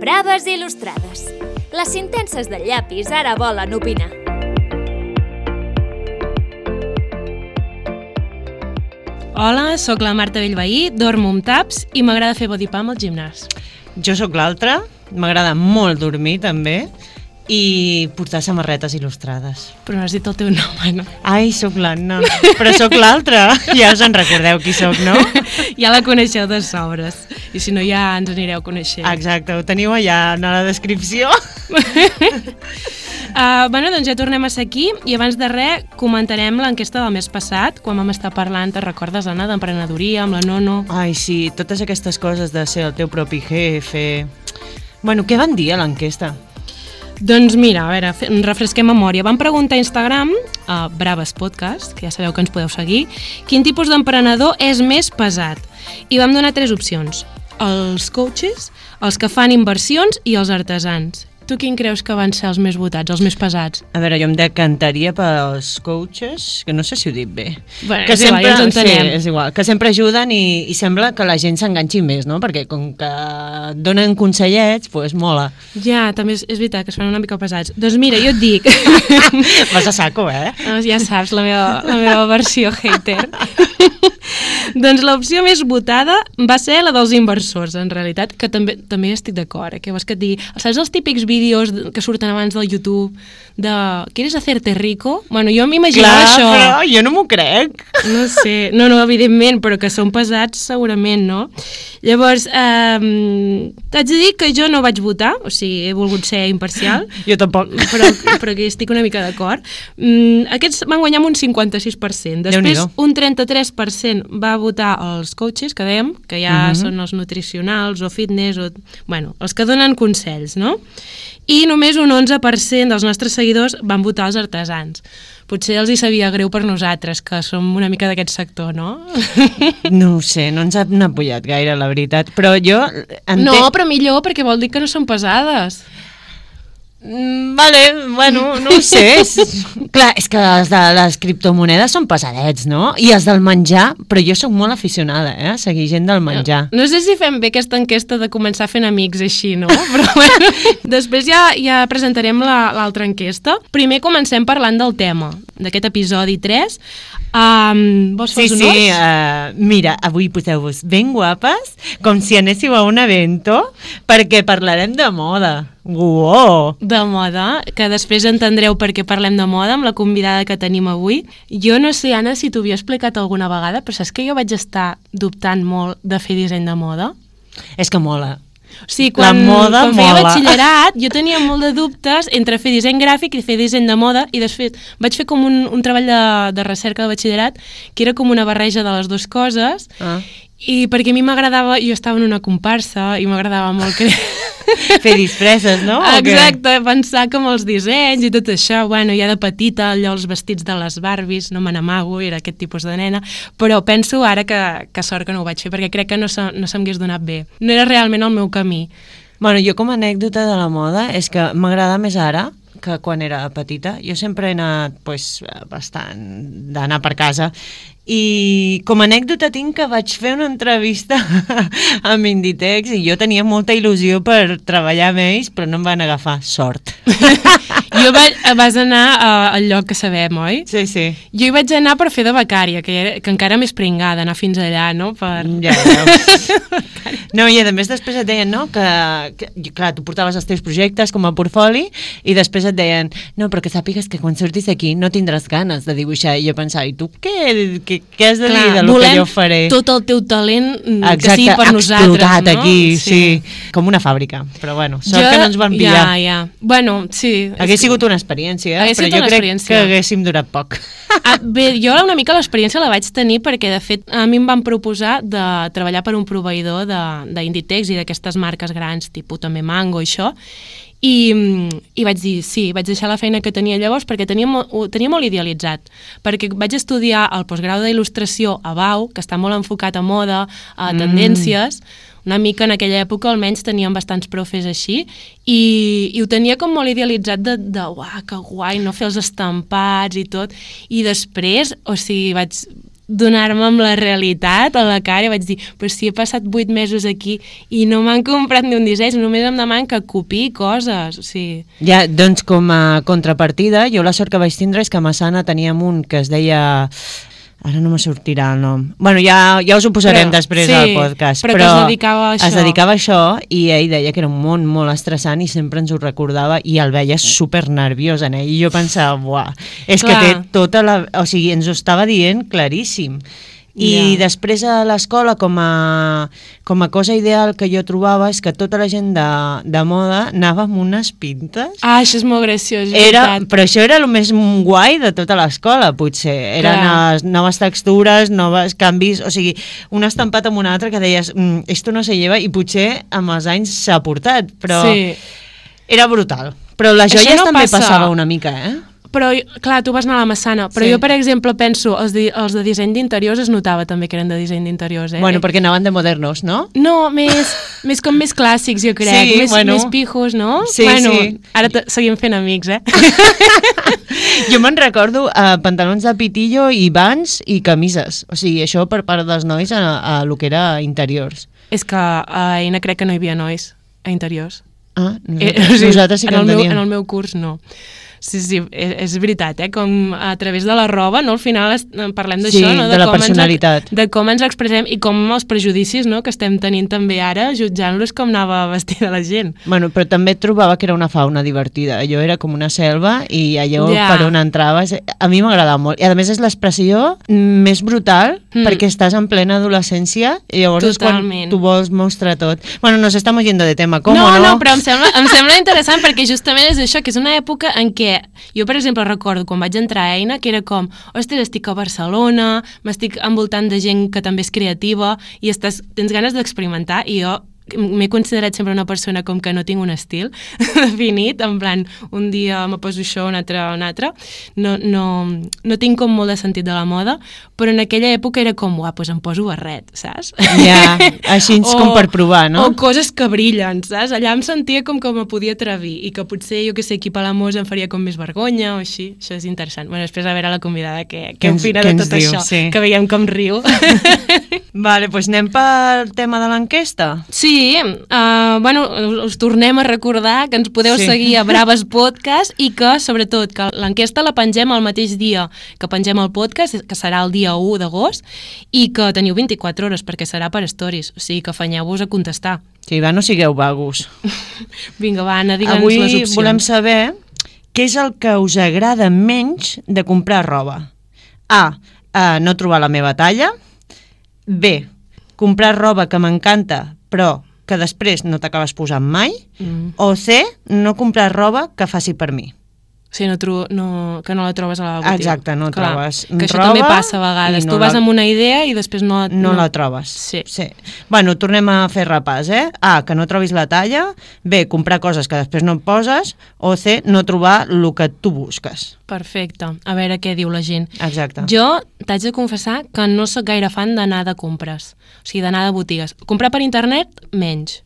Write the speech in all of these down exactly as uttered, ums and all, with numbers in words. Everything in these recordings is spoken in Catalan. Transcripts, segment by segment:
Braves il·lustrades. Les intenses del llapis ara volen opinar. Hola, sóc la Marta Bellveí, dormo amb taps i m'agrada fer body pump al gimnàs. Jo sóc l'altra, m'agrada molt dormir també i portar samarretes il·lustrades. Però no has dit el teu nom, no? Ai, sóc l'Anna, però sóc l'altra. Ja us en recordeu qui sóc, no? Ja la coneixeu de sobres. I si no, ja ens anireu coneixent. Exacte, ho teniu allà en la descripció. Uh, bueno, doncs ja tornem a ser aquí i abans de res comentarem l'enquesta del mes passat, quan vam estar parlant, te recordes, Anna, d'emprenedoria, amb la Nono? Ai, sí, totes aquestes coses de ser el teu propi jefe. Bueno, què van dir a l'enquesta? Doncs mira, a veure, refresquem memòria. Vam preguntar a Instagram, a Braves Podcast, que ja sabeu que ens podeu seguir, quin tipus d'emprenedor és més pesat. I vam donar tres opcions: els coaches, els que fan inversions i els artesans. Tu quin creus que van ser els més votats, els més pesats? A veure, jo em decantaria pels coaches, que no sé si ho dic bé. Bueno, que és sempre, igual, ja ens entenem. Sí, és igual, que sempre ajuden i, i sembla que la gent s'enganxi més, no? Perquè com que donen consellets, doncs pues mola. Ja, també és, és veritat que es fan una mica pesats. Doncs mira, jo et dic... Vas a saco, eh? Ja saps, la meva, la meva versió hater. Doncs l'opció més votada va ser la dels inversors, en realitat, que també també estic d'acord, eh? Que vols que et digui, saps els típics vídeos que surten abans del YouTube de ¿quieres hacerte rico? Bueno, jo m'imaginava això. Clar, però jo no m'ho crec. No sé, no, no, evidentment, però que són pesats segurament, no? Llavors, eh, t'haig de dir que jo no vaig votar, o sigui, he volgut ser imparcial. Jo tampoc. Però, però que estic una mica d'acord. Mm, aquests van guanyar amb un cinquanta-sis per cent. Després, un trenta-tres per cent va votar els coaches, que dèiem, que ja uh-huh. són els nutricionals o fitness, o, bueno, els que donen consells, no? I només un onze per cent dels nostres seguidors van votar els artesans. Potser els hi sabia greu per nosaltres, que som una mica d'aquest sector, no? No ho sé, no ens han apujat gaire, la veritat. Però jo... Entenc... No, però millor, perquè vol dir que no són pesades. Mm, vale, bueno, no ho sé. És, clar, és que els de les criptomonedes són pesadets, no? I els del menjar, però jo sóc molt aficionada, eh? A seguir gent del menjar. No, no sé si fem bé aquesta enquesta de començar fent amics així, no? Però bueno, després ja, ja presentarem l'altra enquesta. Primer comencem parlant del tema d'aquest episodi tres. Um, vols fer sí, els honors? Sí, uh, mira, avui poseu-vos ben guapes, com si anéssiu a un evento, perquè parlarem de moda. Uau! De moda, que després entendreu per què parlem de moda amb la convidada que tenim avui. Jo no sé, Anna, si t'ho havia explicat alguna vegada, però saps que jo vaig estar dubtant molt de fer disseny de moda? És que mola. O sigui, quan, la moda quan feia mola. batxillerat jo tenia molt de dubtes entre fer disseny gràfic i fer disseny de moda, i després vaig fer com un, un treball de, de recerca de batxillerat que era com una barreja de les dues coses. Ah. I perquè a mi m'agradava, jo estava en una comparsa i m'agradava molt que... fer disfresses, no? Exacte, pensar com els dissenys i tot això. Bueno, ja de petita, allò, els vestits de les Barbies, no me n'amago, era aquest tipus de nena, però penso ara que, que sort que no ho vaig fer, perquè crec que no, se, no se m'hagués donat bé. No era realment el meu camí. Bueno, jo com a anècdota de la moda és que m'agrada més ara que quan era petita. Jo sempre he anat pues, bastant d'anar per casa. I com a anècdota tinc que vaig fer una entrevista amb Inditex i jo tenia molta il·lusió per treballar amb ells, però no em van agafar, sort. Jo vaig, vas anar uh, al lloc que sabem, oi? Sí, sí. Jo hi vaig anar per fer de becària, que, era, que encara més pringada, anar fins allà, no? Per... Ja, ja. No, i a més després et deien, no, que, que, clar, tu portaves els teus projectes com a portfoli i després et deien, no, però que sàpigues que quan surtis aquí no tindràs ganes de dibuixar. I jo pensava, i tu què, què, què has de clar, dir de lo que jo faré? Tot el teu talent exacte, que sigui per nosaltres, no? Explotat aquí, sí. sí. Com una fàbrica, però bueno, sort jo, que no ens van pillar. Ja, ja. Bueno, sí. Hagués sigut una experiència, hagués però jo crec experiència. que haguéssim durat poc. Ah, bé, jo una mica l'experiència la vaig tenir perquè, de fet, a mi em van proposar de treballar per un proveïdor d'Inditex i d'aquestes marques grans, tipus també Mango i això, I, i vaig dir, sí, vaig deixar la feina que tenia llavors perquè tenia, ho tenia molt idealitzat, perquè vaig estudiar el postgrau d'il·lustració a Bau, que està molt enfocat a moda, a tendències, mm. una mica en aquella època almenys teníem bastants profes així, i, i ho tenia com molt idealitzat de, de uah, que guai, no fer els estampats i tot, i després, o sigui, vaig... donar-me amb la realitat a la cara i vaig dir, però si he passat vuit mesos aquí i no m'han comprat ni un disseny, només em demanen que copiï coses, o sigui... Ja, doncs com a contrapartida, jo la sort que vaig tindre és que a Massana teníem un que es deia... Ara no me sortirà el nom. Bueno, ja, ja us ho posarem però, després sí, al podcast. Però, però que es dedicava a això. Es dedicava a això i ell deia que era un món molt estressant i sempre ens ho recordava i el veia super nerviós en ell. I jo pensava, buah, és Clar. que té tota la... O sigui, ens ho estava dient claríssim. I yeah. després a l'escola com a, com a cosa ideal que jo trobava és que tota la gent de, de moda anava amb unes pintes. Ah, això és molt graciós. Era, però això era el més guai de tota l'escola, potser. Eren les noves textures, noves canvis, o sigui, un estampat amb un altre que deies, mm, esto no se lleva, i potser amb els anys s'ha portat, però sí. era brutal. Però les joies no també passa. passava una mica, eh? Però, clar, tu vas anar a la Massana, però sí. jo, per exemple, penso, els de, els de disseny d'interiors es notava també que eren de disseny d'interiors, eh? Bueno, perquè anaven de modernos, no? No, més, més com més clàssics, jo crec, sí, més, bueno. més pijos, no? Sí, bueno, sí. Ara seguim fent amics, eh? Jo me'n recordo uh, pantalons de pitillo i vans i camises, o sigui, això per part dels nois a, a lo que era interiors. És que a Eina crec que no hi havia nois a interiors. Ah, nosaltres, eh, o sigui, nosaltres sí que en, en teníem. Meu, en el meu curs no. Sí, sí, és, és veritat, eh? Com a través de la roba, no? Al final es, parlem d'això, sí, no? De, de la com personalitat. Ens, de com ens expressem i com els prejudicis, no? Que estem tenint també ara, jutjant-los com anava vestida la gent. Bueno, però també trobava que era una fauna divertida. Allò era com una selva i allò ja. per on entraves... A mi m'agradava molt. I a més és l'expressió més brutal mm. perquè estàs en plena adolescència i llavors Totalment. és quan tu vols mostrar tot. Bueno, nos estamos yendo de tema, com no, o no? No, però em sembla, em sembla interessant perquè justament és això, que és una època en què jo, per exemple, recordo quan vaig entrar a Eina que era com, ostres, estic a Barcelona, m'estic envoltant de gent que també és creativa i estàs, tens ganes d'experimentar i jo m'he considerat sempre una persona com que no tinc un estil definit, en plan, un dia me poso això, un altre, un altre. No, no, no tinc com molt de sentit de la moda, però en aquella època era com, uah, doncs em poso barret, saps? Ja, així o, com per provar, no? O coses que brillen, saps? Allà em sentia com que me podia atrevir i que potser, jo que sé, aquí a Palamós em faria com més vergonya o així. Això és interessant. Bueno, després a veure la convidada que, que opina de tot diu, això, sí. que veiem com riu. Vale, doncs anem pel tema de l'enquesta. Sí, uh, bueno, us tornem a recordar que ens podeu sí. seguir a Braves Podcast i que, sobretot, que l'enquesta la pengem el mateix dia que pengem el podcast, que serà el dia u d'agost, i que teniu vint-i-quatre hores perquè serà per stories, o sigui que afanyeu-vos a contestar. Sí, va, no sigueu vagos. Vinga, va, Anna, digue'ns Avui les opcions. Avui volem saber què és el que us agrada menys de comprar roba. A, uh, no trobar la meva talla. B, comprar roba que m'encanta però que després no t'acabes posant mai. Mm. O C, no comprar roba que faci per mi. Sí, no tro no, que no la trobes a la botiga. Exacte, no Clar, trobes que això roba també passa a vegades. No tu vas la... amb una idea i després no... No, no la trobes. Sí. sí. Bueno, tornem a fer repàs, eh? A, que no trobis la talla. B, comprar coses que després no et poses. O C, no trobar el que tu busques. Perfecte. A veure què diu la gent. Exacte. Jo t'haig de confessar que no sóc gaire fan d'anar de compres. O sigui, d'anar de botigues. Comprar per internet, menys.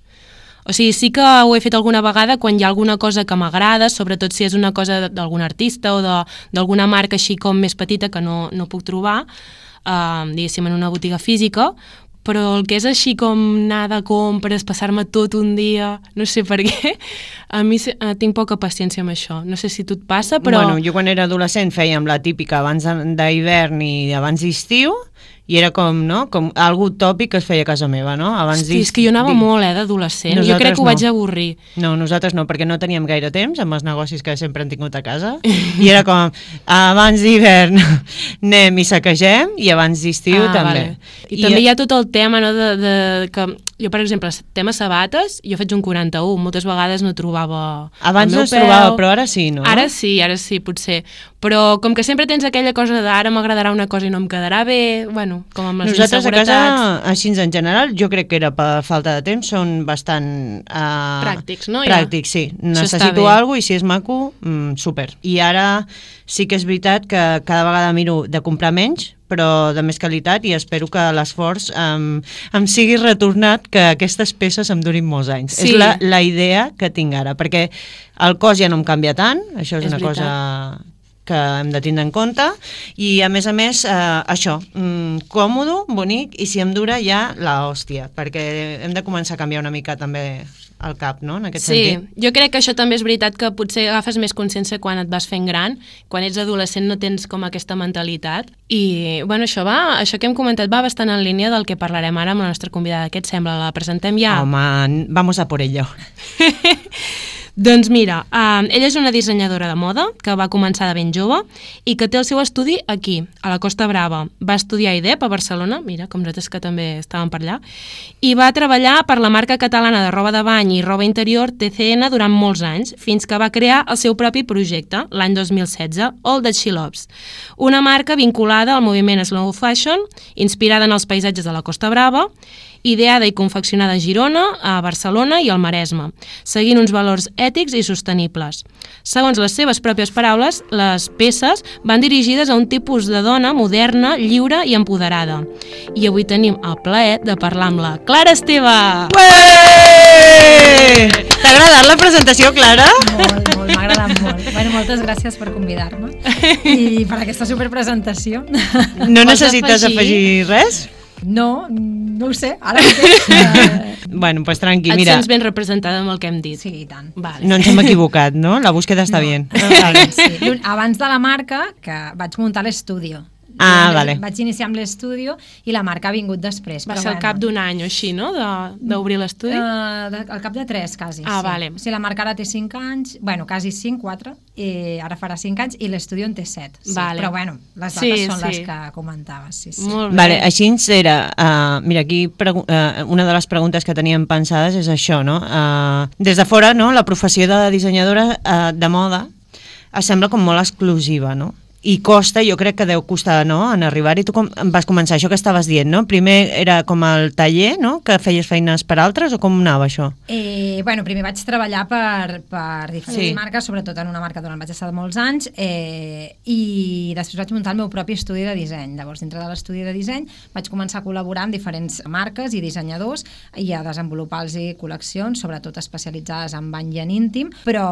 O sigui, sí que ho he fet alguna vegada quan hi ha alguna cosa que m'agrada, sobretot si és una cosa d'algun artista o d'alguna marca així com més petita que no, no puc trobar, eh, diguéssim, en una botiga física, però el que és així com anar de compres, passar-me tot un dia, no sé per què, a mi eh, tinc poca paciència amb això. No sé si tu et passa, però... Bueno, jo quan era adolescent fèiem la típica abans d'hivern i abans d'estiu, i era com, no?, com algo tòpic que es feia a casa meva, no? Abans Hosti, és que jo anava molt, eh, d'adolescent. Jo crec que ho no. vaig avorrir. No, nosaltres no, perquè no teníem gaire temps amb els negocis que sempre hem tingut a casa. I era com, abans d'hivern anem i saquegem, i abans d'estiu ah, també. Vale. I, I també hi ha tot el tema, no?, de, de que jo, per exemple, el tema sabates, jo faig un quaranta-u, moltes vegades no trobava abans el meu no es peu. trobava, però ara sí, no? Ara sí, ara sí, potser. Però com que sempre tens aquella cosa d'ara m'agradarà una cosa i no em quedarà bé, bueno, com amb les nosaltres inseguretats. A casa, així en general, jo crec que era per falta de temps, són bastant... Uh, pràctics, no? Pràctics, sí. Necessito alguna cosa i si és maco, mm, super. I ara sí que és veritat que cada vegada miro de comprar menys, però de més qualitat, i espero que l'esforç um, em sigui retornat, que aquestes peces em durin molts anys. Sí. És la, la idea que tinc ara, perquè el cos ja no em canvia tant, això és, és una veritat. cosa que hem de tindre en compte, i a més a més, eh, això, mm, còmodo, bonic, i si em dura ja la hòstia, perquè hem de començar a canviar una mica també el cap, no?, en aquest sí, sentit. Jo crec que això també és veritat, que potser agafes més consciència quan et vas fent gran, quan ets adolescent no tens com aquesta mentalitat, i bueno, això va, això que hem comentat va bastant en línia del que parlarem ara amb la nostra convidada. Què et sembla? La presentem ja? Home, vamos a por ello. Doncs mira, uh, ella és una dissenyadora de moda que va començar de ben jove i que té el seu estudi aquí, a la Costa Brava. Va estudiar I D E P a Barcelona, mira, com nosaltres que també estàvem per allà, i va treballar per la marca catalana de roba de bany i roba interior T C N durant molts anys, fins que va crear el seu propi projecte, l'any dos mil setze, All That She Loves, una marca vinculada al moviment slow fashion, inspirada en els paisatges de la Costa Brava, ideada i confeccionada a Girona, a Barcelona i al Maresme, seguint uns valors ètics i sostenibles. Segons les seves pròpies paraules, les peces van dirigides a un tipus de dona moderna, lliure i empoderada. I avui tenim el plaer de parlar amb la Clara Esteve! Ué! T'ha agradat la presentació, Clara? Molt, molt, m'ha agradat molt. Bueno, moltes gràcies per convidar-me i per aquesta superpresentació. No necessites afegir res? No, no ho sé, ara mateix... Uh... Bueno, pues tranqui, Et mira. sents ben representada amb el que hem dit. Sí, i tant. Vale. No ens hem equivocat, no? La búsqueda està No. bien. Vale, sí. Abans de la marca, que vaig muntar l'estudio. Ah, I vale. Vaig iniciar amb l'estudio i la marca ha vingut després. Va però ser al bueno. cap d'un any o així, no?, de- d'obrir l'estudi? Uh, de, al cap de tres, quasi. Ah, sí. vale. O sigui, la marca ara té cinc anys, bueno, quasi cinc, quatre, i ara farà cinc anys, i l'estudio en té set. Sí. Vale. Però bueno, les dates Sí, són sí. les que comentaves. Sí, sí. Molt bé. Vale, així ens era, uh, mira, aquí pregu- uh, una de les preguntes que teníem pensades és això, no? Uh, des de fora, no?, la professió de dissenyadora uh, de moda es sembla com molt exclusiva, no? I costa, jo crec que deu costar, no?, en arribar-hi. Tu com vas començar, això que estaves dient, no? Primer era com el taller, no?, que feies feines per altres, o com anava això? Eh, bueno, primer vaig treballar per, per diferents Sí. marques, sobretot en una marca on vaig estar molts anys, eh, i després vaig muntar el meu propi estudi de disseny. Llavors, dintre de l'estudi de disseny, vaig començar a col·laborar amb diferents marques i dissenyadors i a desenvolupar-los col·leccions, sobretot especialitzades en bany i en íntim, però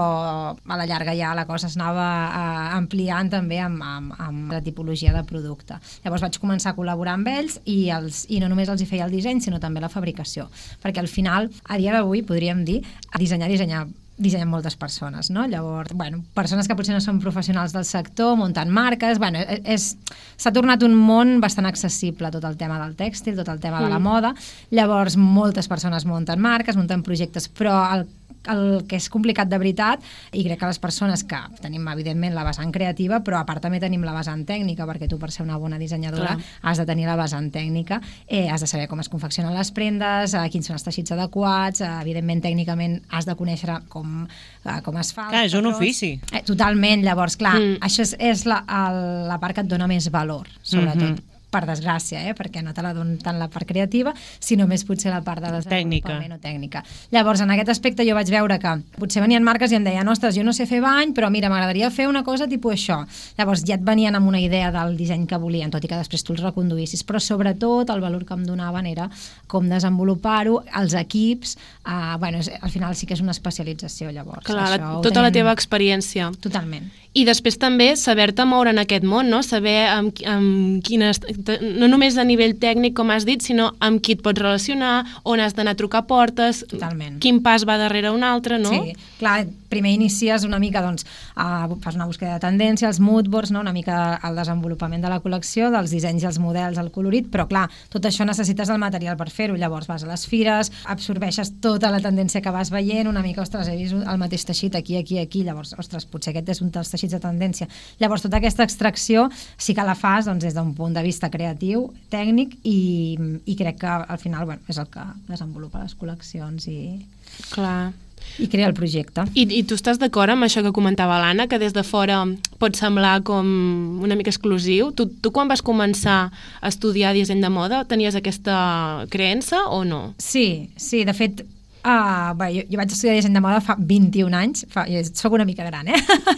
a la llarga ja la cosa s'anava eh, ampliant també amb, amb, amb la tipologia de producte. Llavors vaig començar a col·laborar amb ells i, els, i no només els hi feia el disseny, sinó també la fabricació, perquè al final, a dia d'avui, podríem dir, a dissenyar, dissenyar dissenyen moltes persones, no? Llavors, bueno, persones que potser no són professionals del sector, muntant marques, bueno, és, s'ha tornat un món bastant accessible, tot el tema del tèxtil, tot el tema mm. de la moda. Llavors, moltes persones munten marques, munten projectes, però el el que és complicat de veritat, i crec que les persones que tenim evidentment la vessant creativa, però a part també tenim la vessant tècnica, perquè tu per ser una bona dissenyadora Clar. has de tenir la vessant tècnica, eh, has de saber com es confeccionen les prendes, eh, quins són els teixits adequats, eh, evidentment tècnicament has de conèixer com, eh, com es fa. Clar, és un ofici. Eh, totalment, llavors clar, Mm. això és, és la, el, la part que et dona més valor, sobretot. Mhm. Per desgràcia, eh? Perquè no te la donen tant la part creativa, sinó més potser la part de Tècnica. desenvolupament o tècnica. Llavors, en aquest aspecte jo vaig veure que potser venien marques i em deien, ostres, jo no sé fer bany, però mira, m'agradaria fer una cosa tipus això. Llavors ja et venien amb una idea del disseny que volien, tot i que després tu els reconduïssis, però sobretot el valor que em donaven era com desenvolupar-ho, els equips, eh, bueno, és, al final sí que és una especialització, llavors. Clar, això la, ho tota la tenim- teva experiència. Totalment. I després també saber-te moure en aquest món, no? Saber amb, amb quines, no només a nivell tècnic, com has dit, sinó amb qui et pots relacionar, on has d'anar a trucar portes, Totalment. quin pas va darrere un altre, no? Sí, clar, primer inicies una mica, doncs, a, fas una búsqueda de tendència, els moodboards, no? Una mica el desenvolupament de la col·lecció, dels dissenys i els models, el colorit, però clar, tot això necessites el material per fer-ho, llavors vas a les fires, absorbeixes tota la tendència que vas veient, una mica, ostres, he vist el mateix teixit aquí, aquí, aquí, llavors, ostres, potser aquest és un dels teixits de tendència. Llavors, tota aquesta extracció sí que la fas doncs, des d'un punt de vista creatiu, tècnic, i, i crec que al final bueno, és el que desenvolupa les col·leccions i, Clar. i crea el projecte. I, I tu estàs d'acord amb això que comentava l'Anna, que des de fora pot semblar com una mica exclusiu? Tu, tu quan vas començar a estudiar disseny de moda tenies aquesta creença o no? Sí, sí, de fet, Uh, bé, jo, jo vaig estudiar disseny de moda fa vint-i-un anys, fa, jo soc una mica gran, eh?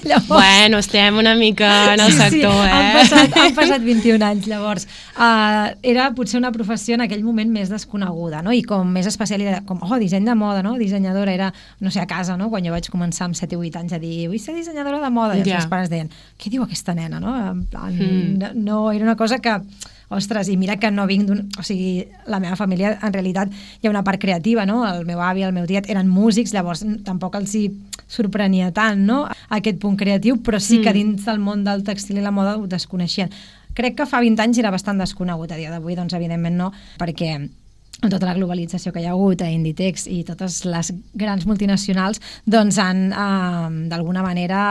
Llavors, bueno, estem una mica en el sí, sector, sí, eh? Han passat, han passat vint-i-un anys, llavors. Uh, era potser una professió en aquell moment més desconeguda, no? I com més especialitat, com, oh, disseny de moda, no? Dissenyadora, era, no sé, a casa, no? Quan jo vaig començar amb set o vuit anys a dir, vull ser dissenyadora de moda, i els Ja. meus pares deien, què diu aquesta nena, no? En plan, Mm. no, no, era una cosa que... Ostres, i mira que no vinc d'un... O sigui, la meva família, en realitat, hi ha una part creativa, no? El meu avi, el meu tiet eren músics, llavors tampoc els hi sorprenia tant, no? Aquest punt creatiu, però sí que dins del món del textil i la moda ho desconeixien. Crec que fa vint anys era bastant desconegut, a dia d'avui, doncs evidentment no, perquè amb tota la globalització que hi ha hagut a Inditex i totes les grans multinacionals, doncs han, eh, d'alguna manera...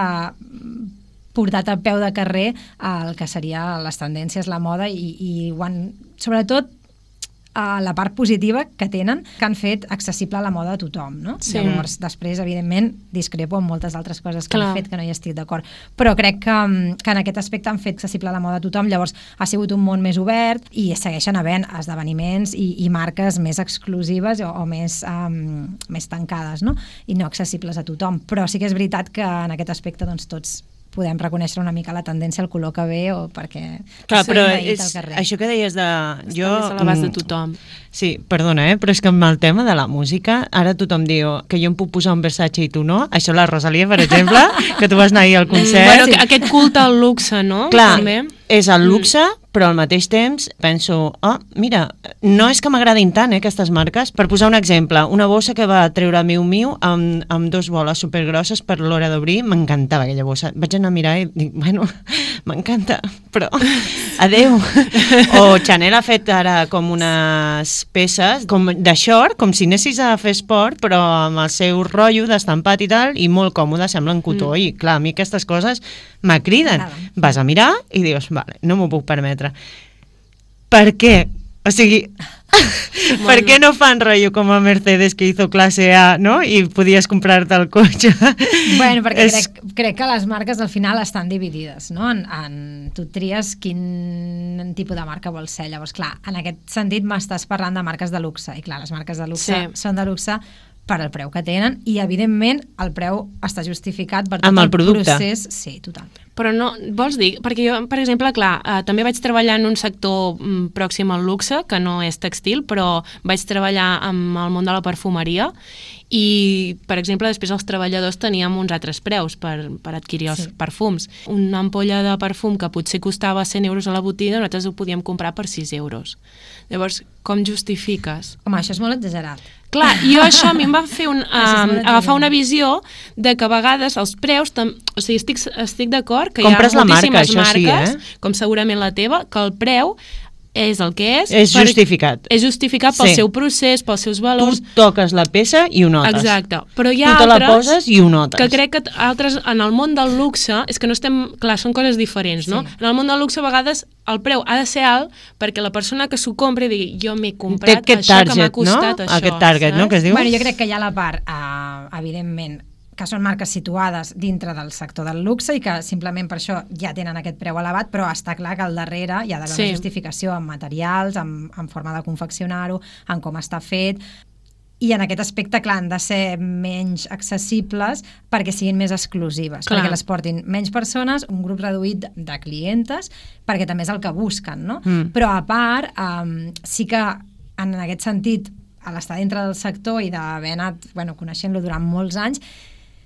portat a peu de carrer el que seria les tendències, la moda i, i ho han, sobretot a la part positiva que tenen, que han fet accessible la moda a tothom, no? Sí. Llavors, després, evidentment, discrepo amb moltes altres coses que Clar. han fet que no hi estic d'acord, però crec que, que en aquest aspecte han fet accessible la moda a tothom, llavors ha sigut un món més obert i segueixen havent esdeveniments i, i marques més exclusives o, o més, um, més tancades, no? I no accessibles a tothom, però sí que és veritat que en aquest aspecte doncs, tots podem reconèixer una mica la tendència al color que ve o perquè Clar, s'ha però envaït és, al carrer. això que deies de... Jo, Està més a l'abast de mm, tothom. Sí, perdona, eh? però és que amb el tema de la música, ara tothom diu que jo em puc posar un Versace i tu no. Això la Rosalia, per exemple, que tu vas anar ahir al concert. Bueno, que aquest culte al luxe, no? Clar, També. és el luxe, però al mateix temps penso, oh, mira, no és que m'agradin tant, eh, aquestes marques. Per posar un exemple, una bossa que va treure Miu Miu amb, amb dos boles supergrosses per l'hora d'obrir, m'encantava aquella bossa. Vaig anar a mirar i dic, bueno, m'encanta, però adeu. O Chanel ha fet ara com unes peces com de short, com si anessis a fer esport, però amb el seu rotllo d'estampat i tal, i molt còmode, semblen cotó, mm. i clar, a mi aquestes coses m'acriden. Vas a mirar i dius, vale, no m'ho puc permetre. Per què? O sigui, per què no fan rotllo com a Mercedes que hizo clase A, no? I podies comprar-te el cotxe? Bueno, perquè És- crec, crec que les marques al final estan dividides, no? En, en, tu tries quin tipus de marca vols ser. Llavors, clar, en aquest sentit m'estàs parlant de marques de luxe. I clar, les marques de luxe Sí. són de luxe per al preu que tenen i, evidentment, el preu està justificat per tot Amb el producte. procés. Sí, totalment. Però no, vols dir? Perquè jo, per exemple, clar, eh, també vaig treballar en un sector mm, pròxim al luxe, que no és textil, però vaig treballar amb el món de la perfumeria i, per exemple, després els treballadors teníem uns altres preus per, per adquirir els Sí. perfums. Una ampolla de perfum que potser costava cent euros a la botiga, nosaltres ho podíem comprar per sis euros. Llavors, com justifiques? Home, això és molt exagerat. Clar, jo això a mi em va fer un, Això és um, molt agafar exagerat. una visió de que a vegades els preus, tam, o sigui, estic, estic d'acord que Compres hi ha la marca, moltíssimes això sí, marques, eh? com segurament la teva, que el preu és el que és. És justificat. És justificat pel Sí. seu procés, pels seus Tu valors. toques la peça i ho notes. Exacte. Però hi ha Tu te la altres poses i ho notes. que crec que t- altres, en el món del luxe, és que no estem... Clar, són coses diferents, no? Sí. En el món del luxe, a vegades, el preu ha de ser alt perquè la persona que s'ho compri digui jo m'he comprat Té aquest això que m'ha target, costat no? això. Aquest target, no? saps? Que es diu? Bueno, jo crec que hi ha la part, eh, evidentment, que són marques situades dintre del sector del luxe i que simplement per això ja tenen aquest preu elevat, però està clar que al darrere hi ha d'haver Sí. una justificació en materials, en, en forma de confeccionar-ho, en com està fet, i en aquest aspecte, clar, han de ser menys accessibles perquè siguin més exclusives, Clar. perquè les portin menys persones, un grup reduït de clientes, perquè també és el que busquen, no? Mm. Però a part, um, sí que en aquest sentit, a l'estar dintre del sector i d'haver anat bueno, coneixent-lo durant molts anys,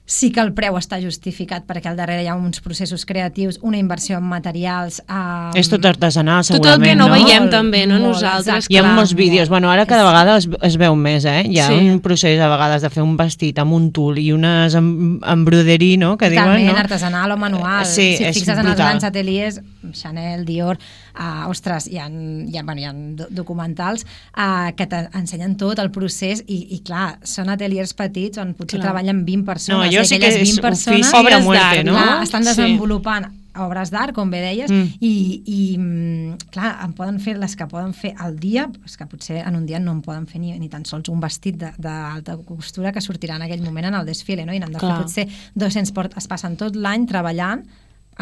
sí que el preu està justificat perquè al darrere hi ha uns processos creatius, una inversió en materials... Um, És tot artesanal, Tot el segurament, que no, no? veiem Molt, també, no? molt, Nosaltres, exacte. Hi ha clar. molts vídeos. Bueno, ara cada vegada es, es veu més, eh? Hi ha Sí. un procés a vegades de fer un vestit amb un tul i unes em, embroderí, no? Que diuen, Totalment no? artesanal o manual. Eh, sí, si et és fixes en els brutal. grans ateliers, Chanel, Dior, uh, ostres, hi ha, hi ha, bueno, hi ha do- documentals uh, que t'ensenyen tot el procés i, i clar, són ateliers petits on potser Clar. treballen vint persones. No, allò i sí aquelles que és vint persones, ofici a Obres muerte, d'art, no? clar, estan Sí. desenvolupant obres d'art, com bé deies, Mm. i, i mm, clar, en poden fer les que poden fer al dia, és que potser en un dia no en poden fer ni, ni tan sols un vestit de- d'alta costura que sortirà en aquell moment en el desfile, no? I n'han de Clar. fer potser dos-cents port, es passen tot l'any treballant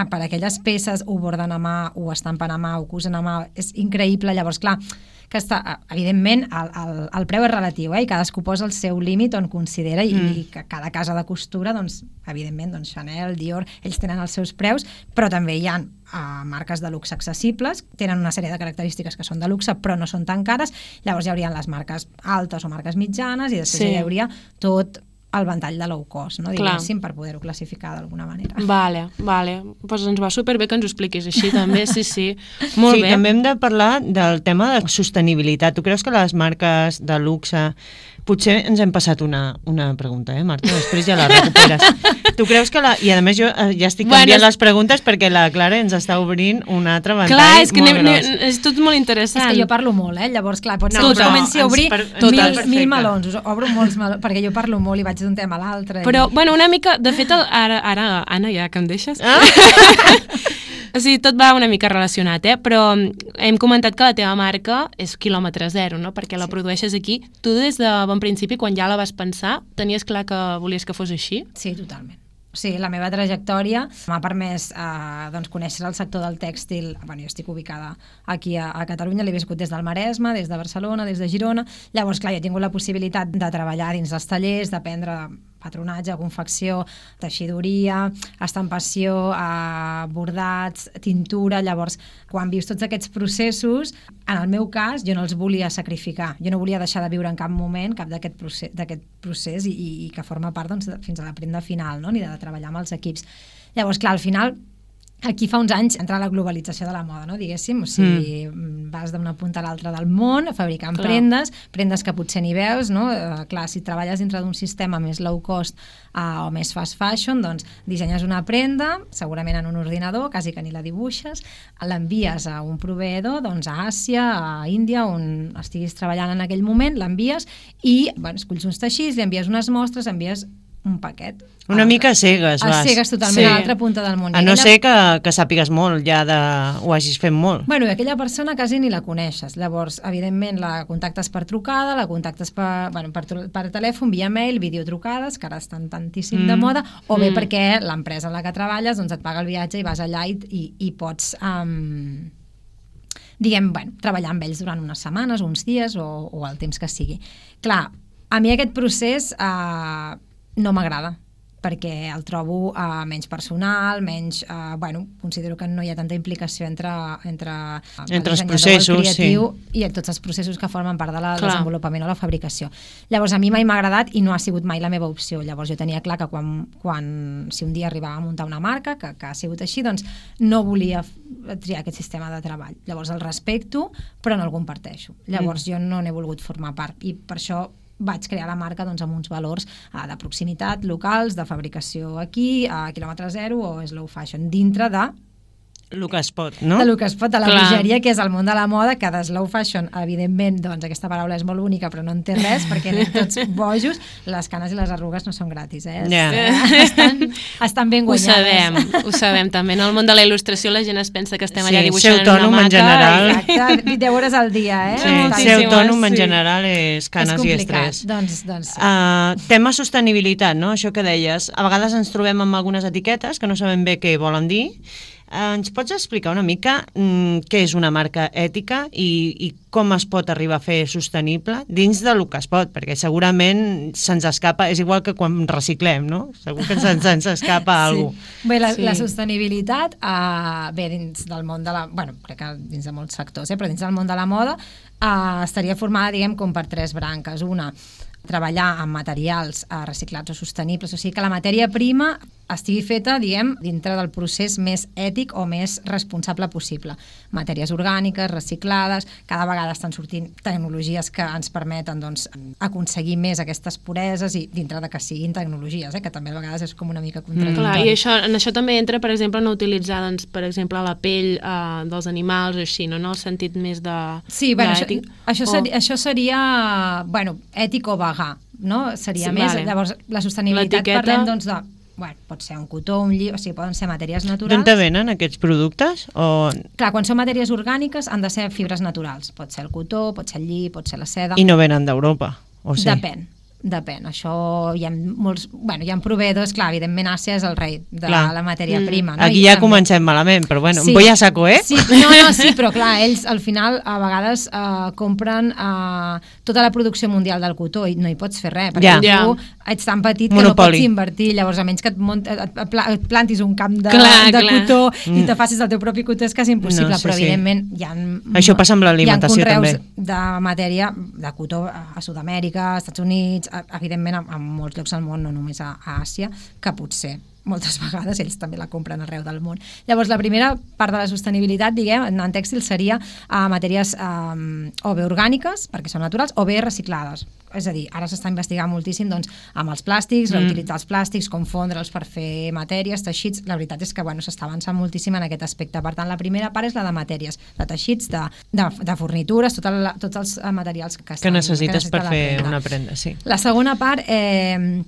per aquelles peces ho borden a mà, ho estampen a mà, ho cosen a mà, és increïble. Llavors, clar, que està, evidentment, el, el, el preu és relatiu, eh? I cadascú posa el seu límit on considera i, mm. i que cada casa de costura, doncs, evidentment, doncs, Chanel, Dior, ells tenen els seus preus, però també hi ha uh, marques de luxe accessibles, tenen una sèrie de característiques que són de luxe, però no són tan cares. Llavors hi haurien les marques altes o marques mitjanes i després sí. hi hauria tot el ventall de low cost, no? Diguéssim, per poder-ho classificar d'alguna manera. Vale, vale. Pues ens va superbé que ens ho expliquis així també, sí, sí. Molt sí, bé. També hem de parlar del tema de sostenibilitat. Tu creus que les marques de luxe... Potser ens hem passat una, una pregunta, eh, Marta? Després ja la recuperes. Tu creus que la... I a més jo ja estic canviant bueno, les preguntes perquè la Clara ens està obrint un altre ventall clar, és que molt ne, gros. Ne, és tot molt interessant. És que jo parlo molt, eh? Llavors, clar, pot ser no, que comenci a obrir per... mil, mil melons. Us obro molts melons, perquè jo parlo molt i vaig d'un tema a l'altre. Però, i... bueno, una mica... De fet, el, ara, ara, Anna, ja que em deixes... Ah? O sigui, tot va una mica relacionat, eh? Però hem comentat que la teva marca és quilòmetre zero, no? Perquè la sí. produeixes aquí. Tu des de bon principi, quan ja la vas pensar, tenies clar que volies que fos així? Sí, totalment. O sigui, la meva trajectòria m'ha permès eh, doncs, conèixer el sector del tèxtil. Bueno, jo estic ubicada aquí a, a Catalunya, l'he viscut des del Maresme, des de Barcelona, des de Girona. Llavors, clar, jo he tingut la possibilitat de treballar dins dels tallers, d'aprendre patronatge, confecció, teixidoria, estampació, eh, bordats, tintura. Llavors, quan vius tots aquests processos, en el meu cas, jo no els volia sacrificar. Jo no volia deixar de viure en cap moment cap d'aquest procés, d'aquest procés i, i, i que forma part doncs, fins a la prenda final, no? Ni de treballar amb els equips. Llavors, clar, al final, aquí fa uns anys entra la globalització de la moda, no? Diguéssim, o sigui, mm. vas d'una punta a l'altra del món fabricant clar. prendes, prendes que potser ni veus, no? Uh, clar, si treballes dintre d'un sistema més low cost uh, o més fast fashion, doncs dissenyes una prenda, segurament en un ordinador, quasi que ni la dibuixes, l'envies a un proveïdor, doncs a Àsia, a Índia, on estiguis treballant en aquell moment, l'envies i, bueno, escolls uns teixits, li envies unes mostres, envies un paquet. Una ah, mica a cegues, vas. A cegues totalment, sí. a l'altra punta del món. A no aquella... ser que, que sàpigues molt, ja de... ho hagis fet molt. Bueno, aquella persona quasi ni la coneixes. Llavors, evidentment, la contactes per trucada, la contactes per, bueno, per, per telèfon, via mail, videotrucades, que ara estan tantíssim mm. de moda, o bé mm. perquè l'empresa en la que treballes doncs et paga el viatge i vas allà i, i, i pots... Um, diguem, bueno, treballar amb ells durant unes setmanes, uns dies o, o el temps que sigui. Clar, a mi aquest procés... Uh, no m'agrada, perquè el trobo uh, menys personal, menys... Uh, bueno, considero que no hi ha tanta implicació entre, entre, uh, entre els processos, el creatiu sí. i tots els processos que formen part del desenvolupament o la fabricació. Llavors, a mi mai m'ha agradat i no ha sigut mai la meva opció. Llavors, jo tenia clar que quan, quan si un dia arribava a muntar una marca, que, que ha sigut així, doncs no volia triar aquest sistema de treball. Llavors, el respecto, però no el comparteixo. Llavors, mm. jo no n'he volgut formar part i per això vaig crear la marca doncs, amb uns valors uh, de proximitat, locals, de fabricació aquí, a quilòmetre zero o slow fashion, dintre de... El que es pot, no? De lo que es pot, de la bogeria, que és el món de la moda, que de slow fashion, evidentment, doncs aquesta paraula és molt única, però no en té res, perquè anem tots bojos, les canes i les arrugues no són gratis, eh? Yeah. Estan, estan ben guanyades. Ho sabem, ho sabem també. En el món de la il·lustració la gent es pensa que estem sí, allà dibuixant en una maca. En general. Exacte, deu hores al dia, eh? Sí, ser autònom en general és canes és i estrès. Doncs, doncs sí. Uh, tema sostenibilitat, no? Això que deies. A vegades ens trobem amb algunes etiquetes que no sabem bé què volen dir. Uh, ens pots explicar una mica mm, què és una marca ètica i, i com es pot arribar a fer sostenible dins del que es pot, perquè segurament se'ns escapa, és igual que quan reciclem, no? Segur que se'ns, se'ns escapa sí. alguna cosa. Bé, la, sí. la sostenibilitat, uh, bé, dins del món de la... Bueno, crec que dins de molts sectors, eh, però dins del món de la moda uh, estaria formada, diguem, com per tres branques. Una, treballar amb materials uh, reciclats o sostenibles, o sigui que la matèria prima estigui feta, diguem, dintre del procés més ètic o més responsable possible. Matèries orgàniques, reciclades, cada vegada estan sortint tecnologies que ens permeten doncs, aconseguir més aquestes pureses i dintre de que siguin tecnologies, eh, que també a vegades és com una mica contradictori. Mm. Clar, i això, en això també entra, per exemple, no utilitzar, doncs, per exemple, la pell uh, dels animals o així, no? En el sentit més de... Sí, bueno, això, això, seria, o... això seria, bueno, ètic o vegà, no? Seria sí, més, vale. Llavors, la sostenibilitat parlem, doncs, de... Bueno, pot ser un cotó, un lli... o sigui, poden ser matèries naturals. D'on te venen aquests productes? O... Clar, quan són matèries orgàniques han de ser fibres naturals. Pot ser el cotó, pot ser el lli, pot ser la seda. I no venen d'Europa, o sí? Depèn. depèn. Això hi ha molts... Bueno, hi ha proveïdors, clar, evidentment Àsia és el rei de clar. la matèria mm. prima. No? Aquí I ja també... comencem malament, però bueno, sí. voy a saco, eh? Sí, no, no, sí, però clar, ells al final a vegades uh, compren uh, tota la producció mundial del cotó i no hi pots fer res, perquè ja. tu ja. ets tan petit que Monopoli. no pots invertir, llavors a menys que et, mont, et, et plantis un camp de, clar, de clar. cotó mm. i te facis el teu propi cotó és quasi impossible, no, sí, però sí. evidentment hi ha, això passa amb l'alimentació també. Hi ha conreus de matèria de cotó a Sud-amèrica, als Estats Units, evidentment a, a molts llocs del món, no només a, a Àsia, que potser moltes vegades ells també la compren arreu del món. Llavors, la primera part de la sostenibilitat, diguem, en tèxtil seria uh, matèries um, o bé orgàniques, perquè són naturals, o bé reciclades. És a dir, ara s'està investigant moltíssim doncs, amb els plàstics, mm. reutilitzar els plàstics, confondre'ls per fer matèries, teixits. La veritat és que bueno, s'està avançant moltíssim en aquest aspecte. Per tant, la primera part és la de matèries, de teixits, de, de, de fornitures, tot el, tots els materials que, que necessites que per fer prenda. una prenda. Sí. La segona part... Eh,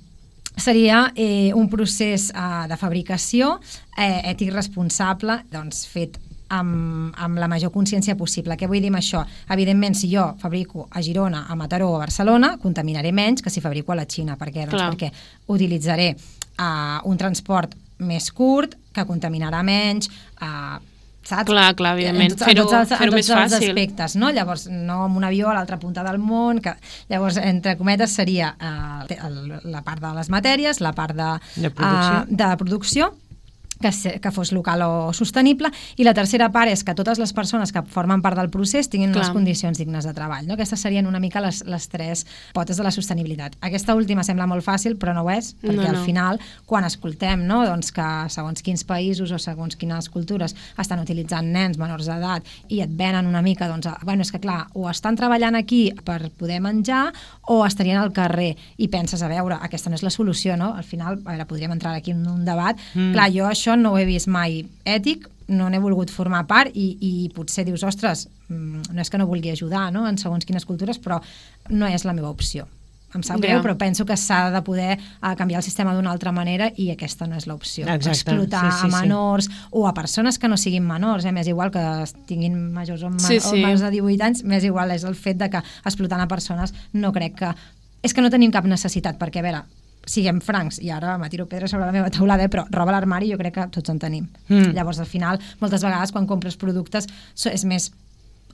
seria eh, un procés eh, de fabricació eh, ètic responsable, doncs fet amb, amb la major consciència possible. Què vull dir amb això? Evidentment, si jo fabrico a Girona, a Mataró o a Barcelona, contaminaré menys que si fabrico a la Xina. Per què? Doncs perquè utilitzaré uh, un transport més curt, que contaminarà menys, uh, saps? Clar, clar, evidentment, fer-ho fer més fàcil. Aspectes, no? Llavors, no amb un avió a l'altra punta del món, que llavors, entre cometes, seria eh, la part de les matèries, la part de, de producció, eh, de producció que, se, que fos local o sostenible, i la tercera part és que totes les persones que formen part del procés tinguin Clar. unes condicions dignes de treball. No? Aquestes serien una mica les, les tres potes de la sostenibilitat. Aquesta última sembla molt fàcil, però no ho és, perquè no, no. al final, quan escoltem no? doncs que segons quins països o segons quines cultures estan utilitzant nens menors d'edat i et venen una mica, doncs, bueno, és que clar, o estan treballant aquí per poder menjar o estarien al carrer, i penses, a veure, aquesta no és la solució, no? Al final, a veure, podríem entrar aquí en un debat. Mm. Clar, jo això no ho he vist mai ètic, no n'he volgut formar part i, i potser dius, ostres, no és que no vulgui ajudar no? en segons quines cultures, però no és la meva opció. Em sap greu, yeah. però penso que s'ha de poder uh, canviar el sistema d'una altra manera i aquesta no és l'opció. Explotar sí, sí, a menors sí. o a persones que no siguin menors, eh? M'és igual que tinguin majors o, sí, sí. o menys de divuit anys, m'és igual, és el fet de que explotant a persones no crec que... És que no tenim cap necessitat, perquè a veure, siguem francs, i ara me tiro pedra sobre la meva taulada, eh, però roba a l'armari jo crec que tots en tenim. Mm. Llavors, al final, moltes vegades quan compres productes és més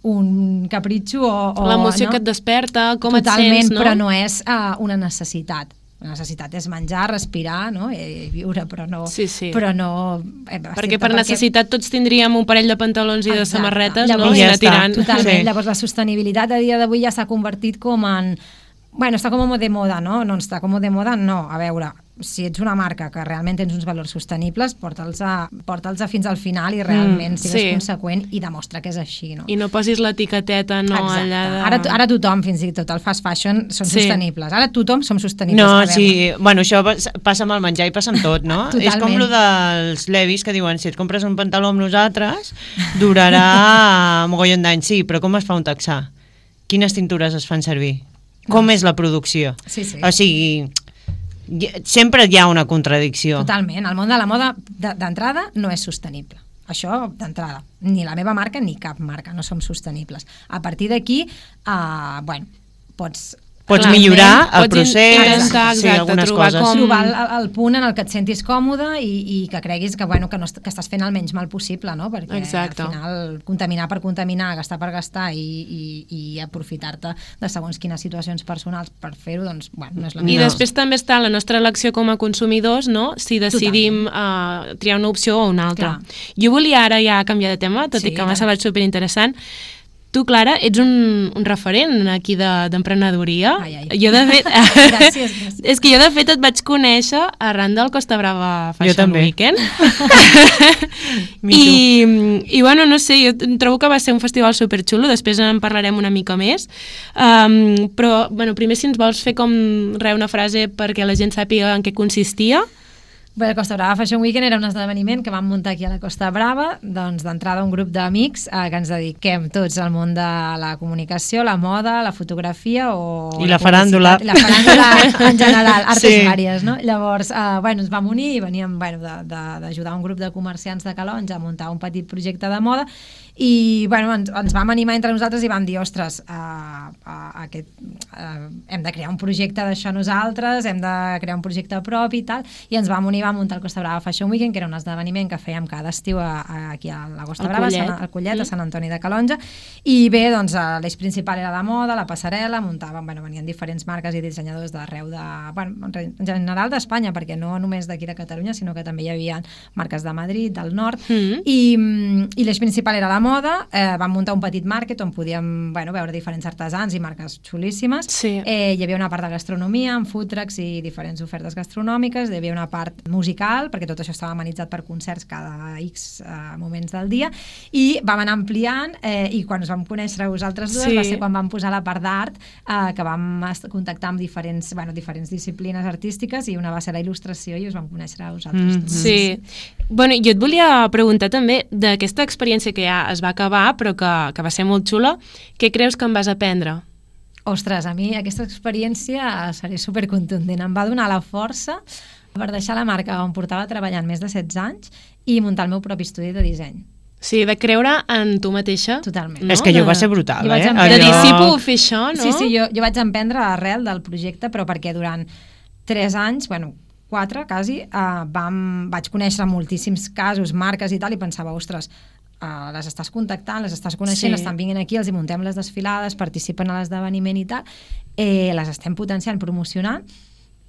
un capritxo o... o l'emoció no? que et desperta, com Totalment, et sents, no? Però no és uh, una necessitat. La necessitat és menjar, respirar, no? I viure, però no... Sí, sí. Però no eh, perquè per perquè... necessitat tots tindríem un parell de pantalons i Exacte. de samarretes, Llavors, no? I anar tirant. Totalment. Sí. Llavors, la sostenibilitat a dia d'avui ja s'ha convertit com en... Bueno, està com de moda, no? No està com de moda, no. A veure, si ets una marca que realment tens uns valors sostenibles, porta'ls a, porta'ls a fins al final i realment mm, sigues sí. conseqüent i demostra que és així, no? I no posis l'etiqueteta, no, Exacte. allà de... Ara, ara tothom, fins i tot el fast fashion, són sí. sostenibles. Ara tothom som sostenibles. No, sí, bueno, això passa amb el menjar i passa amb tot, no? És com lo dels Levis que diuen, si et compres un pantaló amb nosaltres, durarà mogollon d'anys. Sí, però com es fa un texà? Quines tintures es fan servir? Com és la producció? Sí, sí. O sigui, sempre hi ha una contradicció. Totalment. El món de la moda, d'entrada, no és sostenible. Això, d'entrada. Ni la meva marca ni cap marca no som sostenibles. A partir d'aquí, uh, bueno, pots... Pots Clarament, millorar el pots procés, intentar, sí, exacte, algunes trobar coses. Com... Trobar el, el punt en el que et sentis còmode i, i que creguis que, bueno, que, no, que estàs fent el menys mal possible, no? Perquè exacte. al final contaminar per contaminar, gastar per gastar i, i, i aprofitar-te de segons quines situacions personals per fer-ho, doncs, bueno, no és la I millor. després també està la nostra elecció com a consumidors, no? Si decidim uh, triar una opció o una altra. Clar. Jo volia ara ja canviar de tema, tot sí, i que m'ha semblat superinteressant. Tu, Clara, ets un, un referent aquí d'emprenedoria. De, ai, ai. Jo, de fet... gràcies, gràcies. És que jo, de fet, et vaig conèixer arran del Costa Brava Fashion Weekend. I, I, bueno, no sé, jo trobo que va ser un festival superxulo, després en parlarem una mica més. Um, però, bueno, primer, si ens vols fer com re una frase perquè la gent sàpiga en què consistia. Bé, el Costa Brava Fashion Weekend era un esdeveniment que vam muntar aquí a la Costa Brava, doncs d'entrada un grup d'amics eh, que ens dediquem tots al món de la comunicació, la moda, la fotografia o... I la, la faràndula. La faràndula en general, artes sí. vàries, no? Llavors, eh, bueno, ens vam unir i veníem bueno, d'ajudar un grup de comerciants de Calonge a muntar un petit projecte de moda i bueno, ens, ens vam animar entre nosaltres i vam dir, ostres, uh, uh, aquest, uh, hem de crear un projecte d'això nosaltres, hem de crear un projecte propi i tal, i ens vam unir, vam muntar el Costa Brava Fashion Weekend, que era un esdeveniment que fèiem cada estiu a, a, aquí a la Costa El Brava, Collet. Sant, al Collet, Mm. a Sant Antoni de Calonge, i bé, doncs l'eix principal era la moda, la passarel·la, muntàvem, bueno, venien diferents marques i dissenyadors d'arreu de, bueno, en general d'Espanya, perquè no només d'aquí de Catalunya, sinó que també hi havia marques de Madrid, del nord, Mm. i, i l'eix principal era la moda, eh, vam muntar un petit market on podíem, bueno, veure diferents artesans i marques xulíssimes, Sí. eh, hi havia una part de gastronomia, amb food trucks i diferents ofertes gastronòmiques, hi havia una part musical, perquè tot això estava amenitzat per concerts cada X eh, moments del dia, i vam anar ampliant, eh, i quan us vam conèixer vosaltres dues Sí. va ser quan vam posar la part d'art, eh, que vam est- contactar amb diferents, bueno, diferents disciplines artístiques, i una va ser la il·lustració i us vam conèixer a vosaltres Mhm. dues. Sí. Bueno, jo et volia preguntar també d'aquesta experiència que ja es va acabar, però que, que va ser molt xula, què creus que en vas aprendre? Ostres, a mi aquesta experiència seré supercontundent. Em va donar la força per deixar la marca on portava treballant més de setze anys i muntar el meu propi estudi de disseny. Sí, de creure en tu mateixa. Totalment. No? És que allò De- va ser brutal, Jo vaig eh? emprendre- De dir, Allò- sí, puc fer això, no? Sí, sí, jo, jo vaig emprendre arrel del projecte, però perquè durant tres anys, bueno, quatre quasi, eh, vam, vaig conèixer moltíssims casos, marques i tal, i pensava, ostres, Uh, les estàs contactant, les estàs coneixent, Sí. estan vinguent aquí, els hi muntem les desfilades, participen a l'esdeveniment i tal, eh, les estem potenciant, promocionant,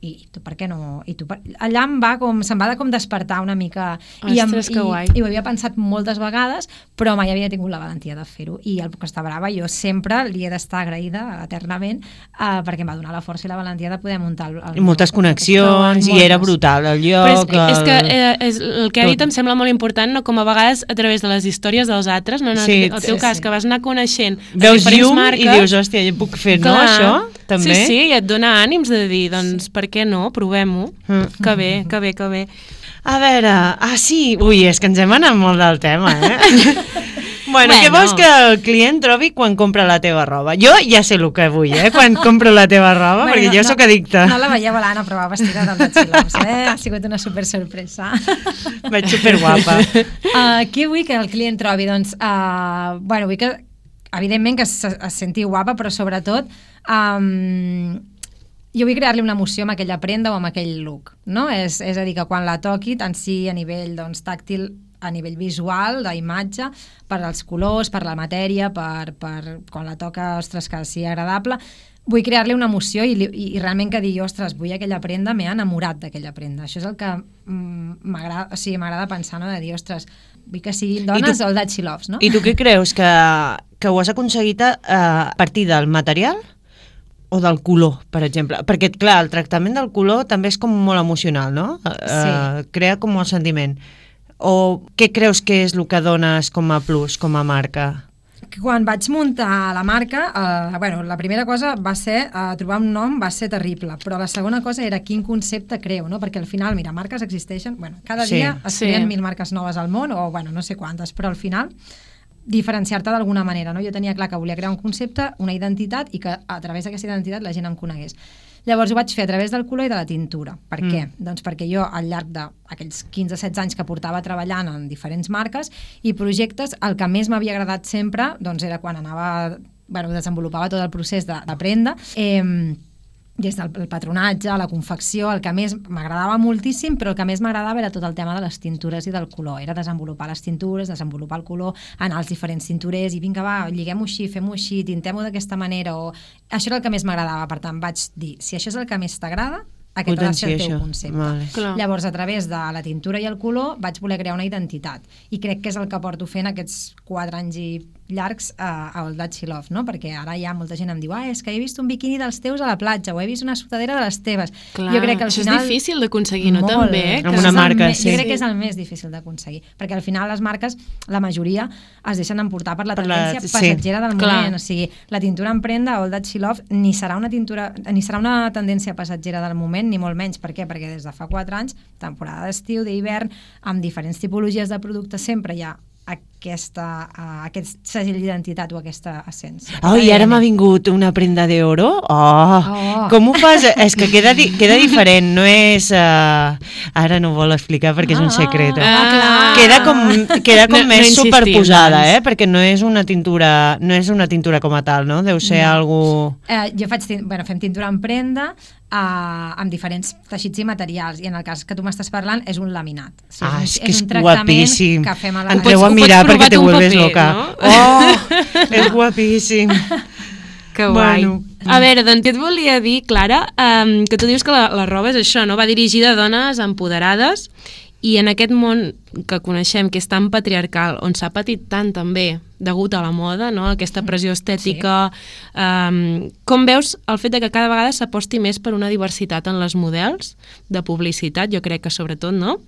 i, i tu per què no? I tu per... Allà em va com, se'm va de com despertar una mica, i, em, Ostres, que guai. i, i ho havia pensat moltes vegades, però mai havia tingut la valentia de fer-ho, i el Costa Brava jo sempre li he d'estar agraïda eternament, uh, perquè em va donar la força i la valentia de poder muntar el, el I moltes meu- connexions, i moltes. era brutal el Però és, lloc. és que el- eh, és, el que ha dit tot. em sembla molt important, no? Com a vegades a través de les històries dels altres, no? En el, Sí, el teu sí, cas, sí. que vas anar coneixent Veus diferents llum marques, i dius, hòstia, jo puc fer, no, clar. això? També? Sí, sí, i et dona ànims de dir, doncs, per què no? Provem-ho. Mm. Que bé, que bé, que bé. A veure, ah sí, ui, és que ens hem anat molt del tema, eh? bueno, Bueno. què vols que el client trobi quan compra la teva roba? Jo ja sé el que vull, eh, quan compro la teva roba, Bueno, perquè jo no- sóc addicta. No la veieu a l'Anna, però va vestida del de Xilops, eh? Ha sigut una super sorpresa. Vaig superguapa. Uh, què vull que el client trobi? Doncs, uh, bueno, vull que, evidentment, que es, es senti guapa, però sobretot um, jo vull crear-li una emoció amb aquella prenda o amb aquell look, no? És, és a dir, que quan la toqui, tant sí a nivell doncs, tàctil, a nivell visual, d'imatge, per als colors, per la matèria, per, per quan la toca, ostres, que sigui agradable, vull crear-li una emoció i, li- i, i realment que digui, ostres, vull aquella prenda, m'he enamorat d'aquella prenda. Això és el que mm, m'agrada, o sigui, m'agrada pensar, no? De dir, ostres, vull que siguin dones tu- o el That She Loves, no? I tu què creus? Que, que ho has aconseguit a, a partir del material o del color, per exemple? Perquè, clar, el tractament del color també és com molt emocional, no? Sí. Uh, crea com molt sentiment. O què creus que és el que dones com a plus, com a marca? Que quan vaig muntar la marca, eh, bueno, la primera cosa va ser, eh, trobar un nom va ser terrible, però la segona cosa era quin concepte creo, no? Perquè al final, mira, marques existeixen, bueno, cada Sí, dia es sí. creen mil marques noves al món, o bueno, no sé quantes, però al final diferenciar-te d'alguna manera, no? Jo tenia clar que volia crear un concepte, una identitat, i que a través d'aquesta identitat la gent em conegués. Llavors ho vaig fer a través del color i de la tintura. Per Mm. què? Doncs perquè jo al llarg d'aquells quinze setze anys que portava treballant en diferents marques i projectes, el que més m'havia agradat sempre doncs era quan anava, bueno, desenvolupava tot el procés de- d'aprendre, eh, des del el patronatge, la confecció, el que més m'agradava moltíssim, però el que més m'agradava era tot el tema de les tintures i del color. Era desenvolupar les tintures, desenvolupar el color, anar als diferents tinturers i vinga, va, lliguem-ho així, fem-ho així, tintem-ho d'aquesta manera. O... Això era el que més m'agradava. Per tant, vaig dir, si això és el que més t'agrada, aquest ha de ser el Potencia teu això. concepte. Vale. Clar. Llavors, a través de la tintura i el color, vaig voler crear una identitat. I crec que és el que porto fent aquests quatre anys i llargs a, a All That She Loves, no? Perquè ara ja molta gent em diu, ah, és que he vist un biquini dels teus a la platja, o he vist una sudadera de les teves. Clar, jo crec que al això final... és difícil d'aconseguir, no? Molt. També, eh? Amb Que una és el marca, més- sí. Jo crec Sí. que és el més difícil d'aconseguir, perquè al final les marques, la majoria, es deixen emportar per la Per la- tendència sí. passatgera del Clar. moment. O sigui, la tintura en prenda, All That She Loves, ni serà una tintura, ni serà una tendència passatgera del moment, ni molt menys. Per què? Perquè des de fa quatre anys, temporada d'estiu, d'hivern, amb diferents tipologies de productes, sempre hi ha aquesta, uh, aquest segell d'identitat o aquesta essència. Oh, i ara m'ha vingut una prenda d'oro. Oh, Oh. com ho fas? És que queda, di queda diferent, no és... Uh, ara no ho vol explicar perquè és un secret. Ah, clar. Queda com, queda com No- no més insistim, superposada, doncs. eh? Perquè no és una tintura, no és una tintura com a tal, no? Deu ser No. algú... Eh, jo faig, tin- bueno, fem tintura en prenda uh, amb diferents teixits i materials, i en el cas que tu m'estàs parlant és un laminat. O sigui, Ah, un- és que és un tractament guapíssim. que fem a la... Entreu pots- a ho pots mirar provar perquè te tu un vuelves paper, loca. no? Oh, és guapíssim. Que guai. Bueno. A veure, doncs què et volia dir, Clara? Um, que tu dius que la, la roba és això, no? Va dirigida a dones empoderades, i en aquest món que coneixem, que és tan patriarcal, on s'ha patit tant també degut a la moda, no? Aquesta pressió estètica, sí. um, com veus el fet de que cada vegada s'aposti més per una diversitat en les models de publicitat, jo crec que sobretot, no?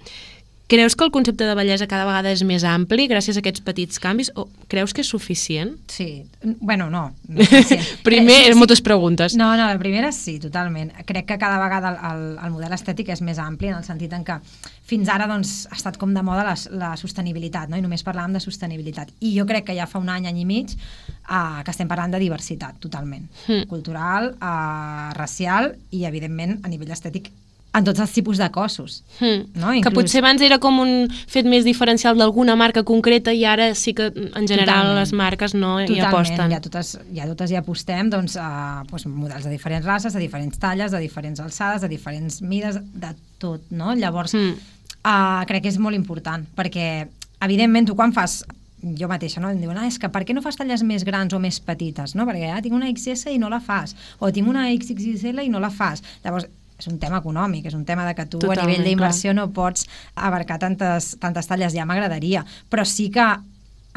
Creus que el concepte de bellesa cada vegada és més ampli gràcies a aquests petits canvis, o creus que és suficient? Sí, bueno, no. no és suficient. Primer, Eh, sí, moltes preguntes. No, no, la primera sí, totalment. Crec que cada vegada el, el, el model estètic és més ampli, en el sentit en que fins ara doncs, ha estat com de moda la, la sostenibilitat, no? I només parlàvem de sostenibilitat. I jo crec que ja fa un any, any i mig, uh, que estem parlant de diversitat, totalment. Mm. Cultural, uh, racial i, evidentment, a nivell estètic, en tots els tipus de cossos. Hmm. No? Que Inclús- potser abans era com un fet més diferencial d'alguna marca concreta, i ara sí que en general Totalment. les marques no hi Totalment, aposten. ja totes, ja totes hi apostem doncs, a doncs, models de diferents races, de diferents talles, de diferents alçades, de diferents mides, de tot, no? Llavors, Mm. uh, crec que és molt important, perquè, evidentment, tu quan fas jo mateixa, no? Em diuen, ah, és que per què no fas talles més grans o més petites, no? Perquè ah, tinc una X S i no la fas, o tinc una X X L i no la fas. Llavors, és un tema econòmic, és un tema de que tu Totalment, a nivell d'inversió clar. no pots abarcar tantes, tantes talles, ja m'agradaria, però sí que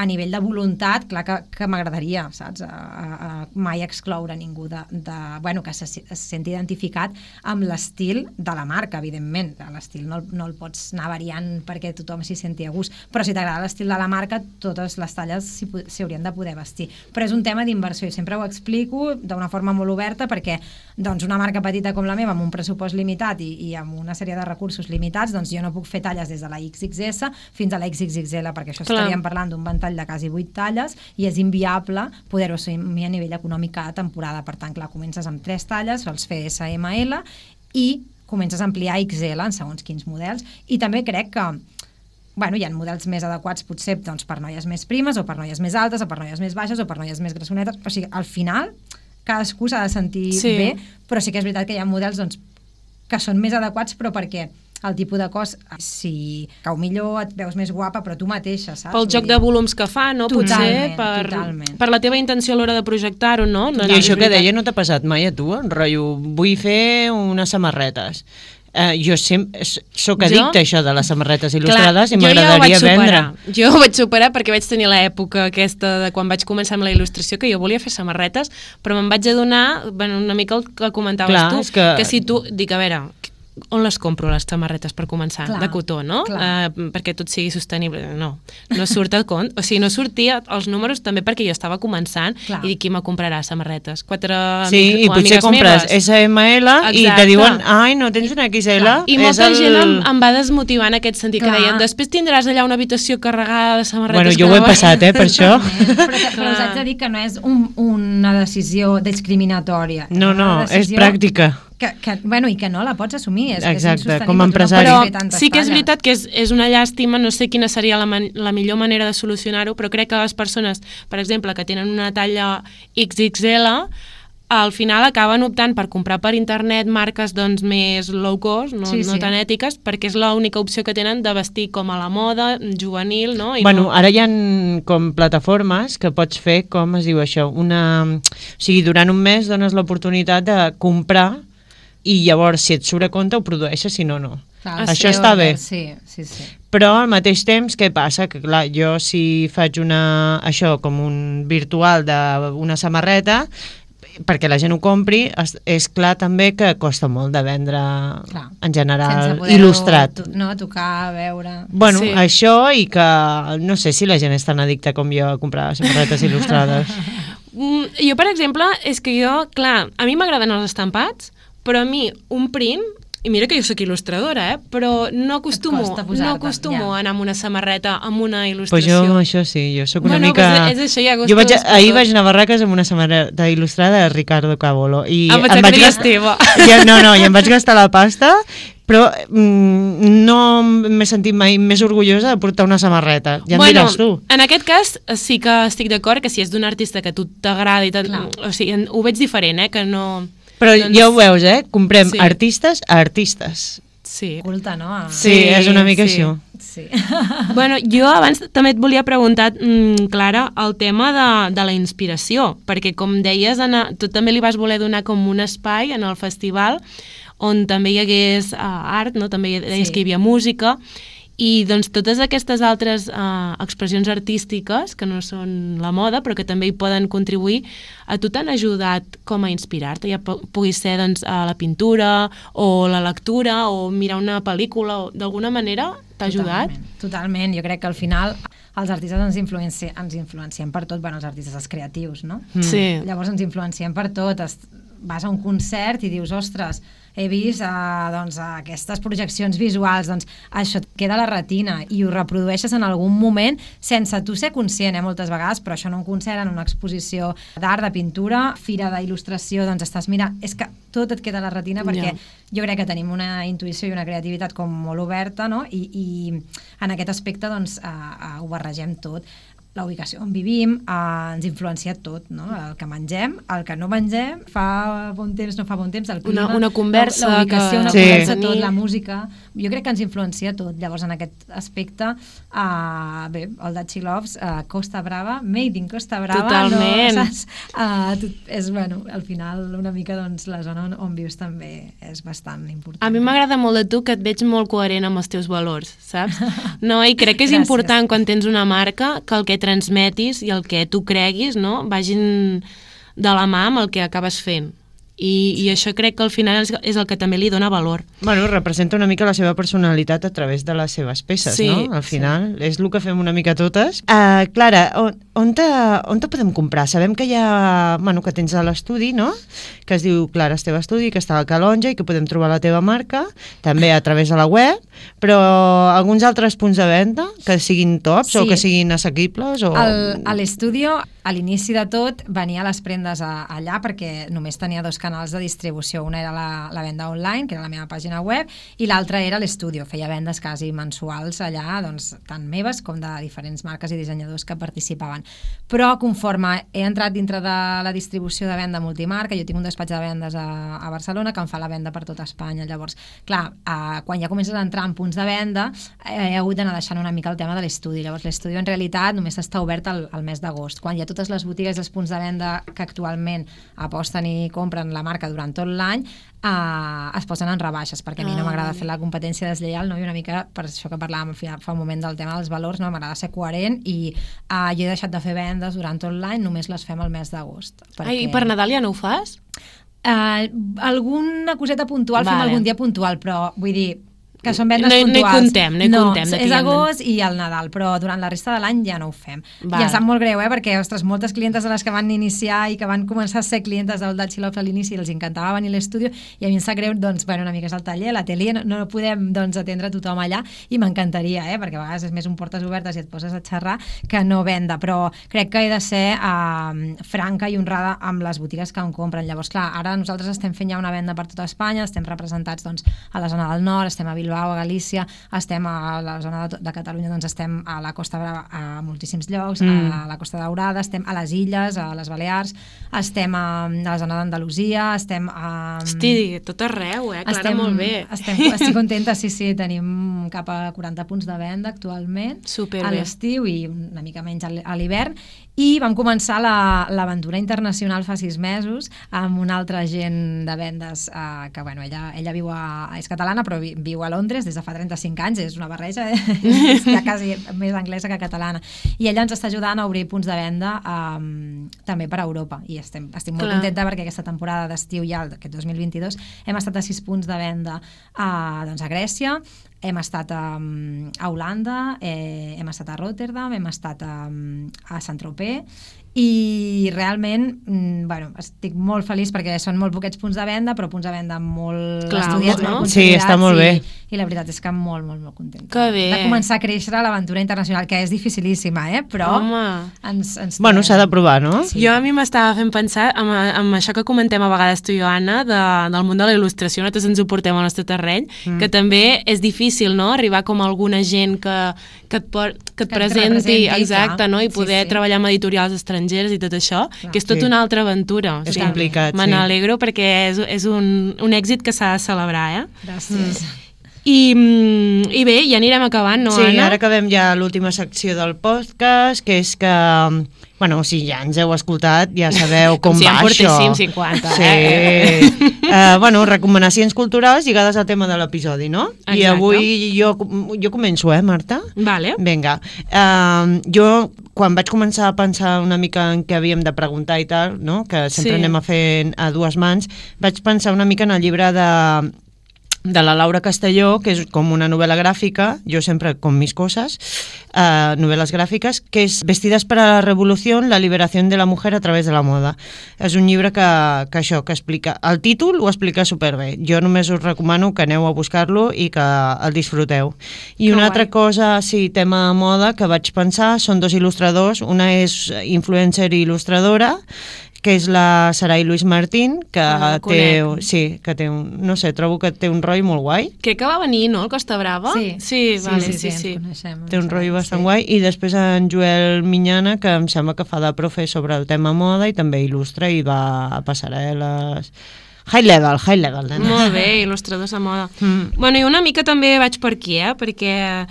a nivell de voluntat, clar que, que m'agradaria, saps? A, a, a mai excloure ningú de, de, bueno, que se, se senti identificat amb l'estil de la marca, evidentment. L'estil no, el- no el pots anar variant perquè tothom s'hi senti a gust, però si t'agrada l'estil de la marca, totes les talles s'hi po- s'hi haurien de poder vestir. Però és un tema d'inversió, i sempre ho explico d'una forma molt oberta, perquè doncs, una marca petita com la meva, amb un pressupost limitat i, i amb una sèrie de recursos limitats, doncs jo no puc fer talles des de la X X S fins a la X X X L, perquè això Clar. estaríem parlant d'un ventall de quasi vuit talles i és inviable poder-ho assumir a nivell econòmic cada temporada. Per tant, clar, comences amb tres talles, sols fer S M L i comences a ampliar X L en segons quins models. I també crec que bueno, hi ha models més adequats potser doncs, per noies més primes o per noies més altes o per noies més baixes o per noies més grassonetes. O sigui, al final cadascú s'ha de sentir Sí. bé, però sí que és veritat que hi ha models doncs, que són més adequats, però perquè el tipus de cos, si cau millor, et veus més guapa, però tu mateixa, saps? Pel Vull joc dir- de volums que fa, no? Potser Totalment, per, totalment. per la teva intenció a l'hora de projectar-ho, no? no I això és que veritat. deia no t'ha passat mai a tu, en rotllo, vull fer unes samarretes. Uh, jo sempre sóc addicta a això de les samarretes il·lustrades. Clar, i jo ja ho m'agradaria vaig superar. vendre. Jo ho vaig superar perquè vaig tenir l'època aquesta de quan vaig començar amb la il·lustració, que jo volia fer samarretes, però me'n vaig adonar, bueno, una mica el que comentaves Clar, tu, és que- que si tu, dic, a veure, on les compro les samarretes per començar? Clar, de cotó, no? clar. Uh, perquè tot sigui sostenible. No, no surt a compte. O sigui, no sortia els números també perquè jo estava començant Clar. i dic, qui me comprarà samarretes? Quatre Sí, amics i o potser amigues compres meves? S M L i Exacte. te diuen, ai, no tens una X L. I És molta el... gent em, em va desmotivar en aquest sentit, Clar. que deien, després tindràs allà una habitació carregada de samarretes. Bueno, que jo ho he no- passat, eh, per això. però, però Clar. us haig de dir que no és un, una decisió discriminatòria. No, no, una és decisió pràctica. Que, que, bueno, i que no la pots assumir. És, Exacte, és insostenible, com a tu no empresari. pots Però fer tantes sí que és talles. veritat que és, és una llàstima, no sé quina seria la, man la millor manera de solucionar-ho, però crec que les persones, per exemple, que tenen una talla X X L, al final acaben optant per comprar per internet marques doncs, més low cost, no, Sí, no sí. tan ètiques, perquè és l'única opció que tenen de vestir com a la moda, juvenil, no? I Bueno, no... ara hi ha com plataformes que pots fer, com es diu això, una... O sigui, durant un mes dones l'oportunitat de comprar i llavors, si et surt a compte, ho produeixes, si no, no. Clar, Això sí, està bé. Sí, sí, sí. Però al mateix temps, què passa? Que clar, jo si faig una, això com un virtual d'una samarreta, perquè la gent ho compri, és, és clar també que costa molt de vendre Clar. en general Sense poder-ho il·lustrat. to- No, tocar, veure... Bueno, Sí. sí. Això i que no sé si la gent és tan addicta com jo a comprar samarretes il·lustrades. Mm, jo, per exemple, és que jo, clar, a mi m'agraden els estampats, però a mi un print I mira que jo sóc il·lustradora, eh? Però no acostumo, costa posar-te, no acostumo ja. a anar amb una samarreta amb una Pues il·lustració. jo amb això sí, jo sóc una Bueno, mica... pues és això, ja jo vaig, gustos ahir per vaig anar a Barraques amb una samarreta il·lustrada de Ricardo Cabolo. I Ah, pensava em vaig que deies gastar- teva. Ja, no, no, i em vaig gastar la pasta, però mm, no m'he sentit mai més orgullosa de portar una samarreta. Ja em bueno, diràs tu. en aquest cas sí que estic d'acord que si és d'un artista que a tu t'agrada i tant, o sigui, en- ho veig diferent, eh? Que no... Però doncs, ja ho veus, eh? Comprem sí. artistes a artistes. Sí. Culta, no? A... Sí, és una mica sí. això. Sí. Bueno, jo abans també et volia preguntar, mm, Clara, el tema de, de la inspiració, perquè com deies, Anna, tu també li vas voler donar com un espai en el festival on també hi hagués uh, art, no? També deies Sí. que hi havia música, i doncs totes aquestes altres uh, expressions artístiques, que no són la moda, però que també hi poden contribuir, a tu t'han ajudat com a inspirar-te, ja pugui ser doncs, a la pintura, o la lectura, o mirar una pel·lícula, o d'alguna manera t'ha ajudat? Totalment, totalment. Jo crec que al final els artistes ens, influenci ens influenciem per tot, bueno, els artistes, els creatius, no? Mm. Sí. Llavors ens influenciem per tot, es, vas a un concert i dius, ostres, he vist uh, doncs, aquestes projeccions visuals, doncs això et queda a la retina i ho reprodueixes en algun moment sense tu ser conscient, eh, moltes vegades, però això en un concert, en una exposició d'art, de pintura, fira d'il·lustració, doncs estàs mirant, és que tot et queda a la retina perquè Ja. jo crec que tenim una intuïció i una creativitat com molt oberta, no? I, i en aquest aspecte doncs uh, uh, ho barregem tot. La ubicació on vivim eh, ens influencia tot, no? El que mengem, el que no mengem, fa bon temps, no fa bon temps, el clima, Una- una conversa la ubicació, que- una Sí. conversa, tot, la música, jo crec que ens influencia tot. Llavors, en aquest aspecte, eh, bé, el Dachi Loves, eh, Costa Brava, Made in Costa Brava, Totalment. no, saps? Eh, tot, és, bueno, al final, una mica, doncs, la zona on, on vius també és bastant important. A mi m'agrada molt de tu que et veig molt coherent amb els teus valors, saps? No, i crec que és Gràcies. important quan tens una marca que el que transmetis i el que tu creguis, no?, vagin de la mà amb el que acabes fent. I, i això crec que al final és, és el que també li dona valor. Bueno, representa una mica la seva personalitat a través de les seves peces, Sí, no? Al final, sí. És el que fem una mica totes. Uh, Clara, on, on, te, on te podem comprar? Sabem que hi ha, bueno, que tens a l'estudi, no? Que es diu Clara Esteve Estudi, que està a Calonja i que podem trobar la teva marca, també a través de la web, però alguns altres punts de venda que siguin tops Sí. o que siguin assequibles? O... El, a l'estudio, a l'inici de tot, venia les prendes a, allà perquè només tenia dos canals de distribució. Una era la, la venda online, que era la meva pàgina web, i l'altra era l'estudio. Feia vendes quasi mensuals allà, doncs, tant meves com de diferents marques i dissenyadors que participaven. Però conforme he entrat dintre de la distribució de venda multimarca, jo tinc un despatx de vendes a, a Barcelona que em fa la venda per tota Espanya. Llavors, clar, eh, quan ja comences a entrar en punts de venda, eh, he hagut d'anar deixant una mica el tema de l'estudi. Llavors, l'estudi en realitat només està obert al, al mes d'agost, quan ja totes les botigues i els punts de venda que actualment aposten i compren la marca durant tot l'any eh, es posen en rebaixes, perquè a mi no m'agrada fer la competència deslleial, no? I una mica per això que parlàvem fa un moment del tema dels valors, no? M'agrada ser coherent i eh, jo he deixat de fer vendes durant tot l'any, només les fem al mes d'agost. Ai, i per Nadal ja no ho fas? Uh, alguna coseta puntual, vale. Fem algun dia puntual, però vull dir que són vendes no, puntuals. No hi contem, no hi no, contem. No, és agost i el Nadal, però durant la resta de l'any ja no ho fem. Val. I em sap molt greu, eh, perquè, ostres, moltes clientes de les que van iniciar i que van començar a ser clientes del Dachi Loves a l'inici, els encantava venir a l'estudi i a mi em sap greu, doncs, bueno, una mica és el taller, l'atelier, no, no podem, doncs, atendre tothom allà i m'encantaria, eh, perquè a vegades és més un portes obertes i et poses a xerrar que no venda, però crec que he de ser eh, franca i honrada amb les botigues que em compren. Llavors, clar, ara nosaltres estem fent ja una venda per tota Espanya, estem representats, doncs, a la zona del nord, estem a Bilbao, a Galícia, estem a la zona de, de Catalunya, doncs estem a la Costa Brava a moltíssims llocs, mm. a la Costa Daurada, estem a les Illes, a les Balears, estem a, a la zona d'Andalusia, estem a... Hosti, tot arreu, eh? Clara, estem, molt bé. Estem, estic contenta, sí, sí, tenim cap a quaranta punts de venda actualment Superbé. a l'estiu i una mica menys a l'hivern, i vam començar l'aventura la, internacional fa sis mesos amb un altre agent de vendes eh, que, bueno, ella, ella viu a, és catalana però vi, viu a Londres des de fa trenta-cinc anys, és una barreja, eh? És ja quasi més anglesa que catalana, i ella ens està ajudant a obrir punts de venda eh, també per a Europa, i estem, estic molt Clar. contenta perquè aquesta temporada d'estiu ja, aquest dos mil vint-i-dos, hem estat a sis punts de venda eh, doncs a Grècia, hem estat a, a Holanda, eh, hem estat a Rotterdam, hem estat a, a Saint-Tropez, i realment, bueno, estic molt feliç perquè són molt poquets punts de venda, però punts de venda molt Clar, estudiats, no? molt Sí, està molt bé. i, i la veritat és que molt, molt, molt contenta. Que bé. De començar a créixer a l'aventura internacional, que és dificilíssima, eh? Però Home. ens, ens Bueno, s'ha de provar, no? Sí. Jo a mi m'estava fent pensar amb, amb això que comentem a vegades tu i jo, Anna, de, del món de la il·lustració, nosaltres ens ho portem al nostre terreny, mm. que també és difícil, no?, arribar com a alguna gent que, que, et, por, que et Que et presenti, representi, exacte, clar. no?, i Sí, poder sí. treballar amb editorials estrangeres i tot això, Clar. que és tot Sí. una altra aventura. És complicat, Me sí. n'alegro perquè és, és un, un èxit que s'ha de celebrar, eh? Gràcies. I, mm, I bé, ja anirem acabant, no, Sí, Anna? ara acabem ja l'última secció del podcast, que és que, bueno, si ja ens heu escoltat, ja sabeu com, Com si va en això. portéssim cinquanta, Sí. eh? uh, bueno, recomanacions culturals lligades al tema de l'episodi, no? I Exacte. avui jo, jo començo, eh, Marta? Vale. Vinga. Uh, jo, quan vaig començar a pensar una mica en què havíem de preguntar i tal, no?, que sempre Sí. anem a fer a dues mans, vaig pensar una mica en el llibre de de la Laura Castelló, que és com una novel·la gràfica, jo sempre con mis cosas, uh, novel·les gràfiques, que és Vestidas para la revolución, la liberación de la mujer a través de la moda. És un llibre que, que això, que explica, el títol ho explica superbé. Jo només us recomano que aneu a buscar-lo i que el disfruteu. I Que una guai. altra cosa, sí, tema moda, que vaig pensar, són dos il·lustradors, una és influencer i il·lustradora, que és la Sarai Luis Martín, que Ah, té, conec. sí, que té un, no sé, trobo que té un roi molt guai, Crec que va venir, no?, el Costa Brava? Sí, sí, vale, sí, sí, sí. ens coneixem. té un ens roi sabem, bastant sí. guai, i després en Joel Minyana, que em sembla que fa de profe sobre el tema moda i també il·lustra i va a passarel·les. High level, high level, nena. Molt bé, il·lustradors de moda. Mm. Bueno, i una mica també vaig per aquí, eh? Perquè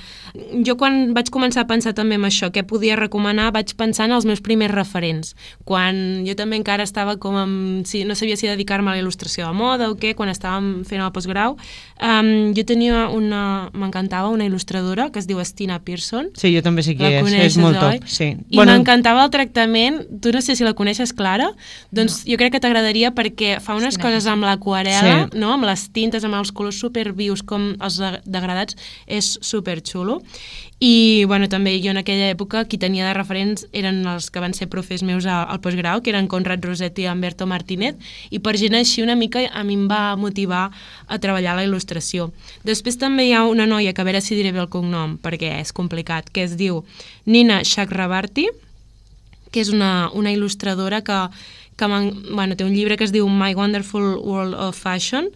jo quan vaig començar a pensar també en això, què podia recomanar, vaig pensar en els meus primers referents. Quan jo també encara estava com amb... Sí, no sabia si dedicar-me a la il·lustració de moda o què, quan estàvem fent el postgrau, um, jo tenia una... m'encantava una il·lustradora que es diu Stina Pearson. Sí, jo també sé qui La és, coneixes, és molt oi? top. Sí. I bueno, m'encantava el tractament, tu no sé si la coneixes, Clara, doncs no. Jo crec que t'agradaria perquè fa unes Sí, coses amb l'aquarela, Sí. no? Amb les tintes, amb els colors supervius, com els de- degradats, és superxulo. I, bueno, també jo en aquella època qui tenia de referents eren els que van ser profes meus al, al postgrau, que eren Conrad Rossetti i Humberto Martínez, i per gent així una mica a mi em va motivar a treballar la il·lustració. Després també hi ha una noia, que a veure si diré bé el cognom, perquè és complicat, que es diu Nina Chakrabarti, que és una, una il·lustradora que, que bueno, té un llibre que es diu My Wonderful World of Fashion,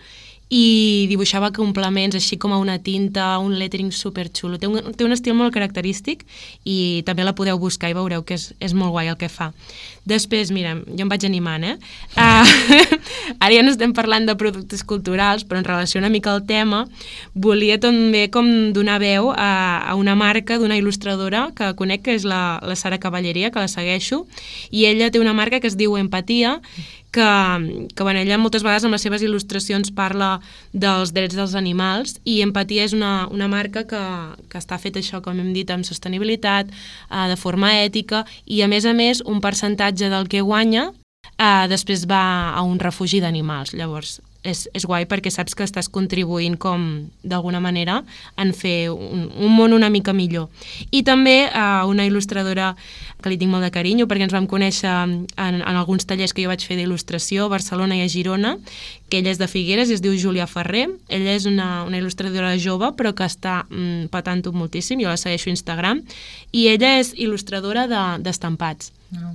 i dibuixava complements així com a una tinta, un lettering superxulo. Té un, té un estil molt característic i també la podeu buscar i veureu que és, és molt guai el que fa. Després, mira, jo em vaig animant, eh? Uh, ara ja no estem parlant de productes culturals, però en relació una mica al tema, volia també com donar veu a, a una marca d'una il·lustradora que conec, que és la, la Sara Cavalleria, que la segueixo, i ella té una marca que es diu Empatia, que, que bueno, ella moltes vegades amb les seves il·lustracions parla dels drets dels animals, i Empatia és una, una marca que, que està feta això, com hem dit, amb sostenibilitat, eh, de forma ètica, i a més a més un percentatge del que guanya eh, després va a un refugi d'animals. Llavors és, és guai perquè saps que estàs contribuint com d'alguna manera en fer un, un món una mica millor. I també eh, una il·lustradora que li tinc molt de carinyo perquè ens vam conèixer en, en alguns tallers que jo vaig fer d'il·lustració a Barcelona i a Girona, que ella és de Figueres i es diu Júlia Ferrer. Ella és una, una il·lustradora jove però que està mm, patant-ho moltíssim, jo la segueixo a Instagram, i ella és il·lustradora d'estampats. De, No.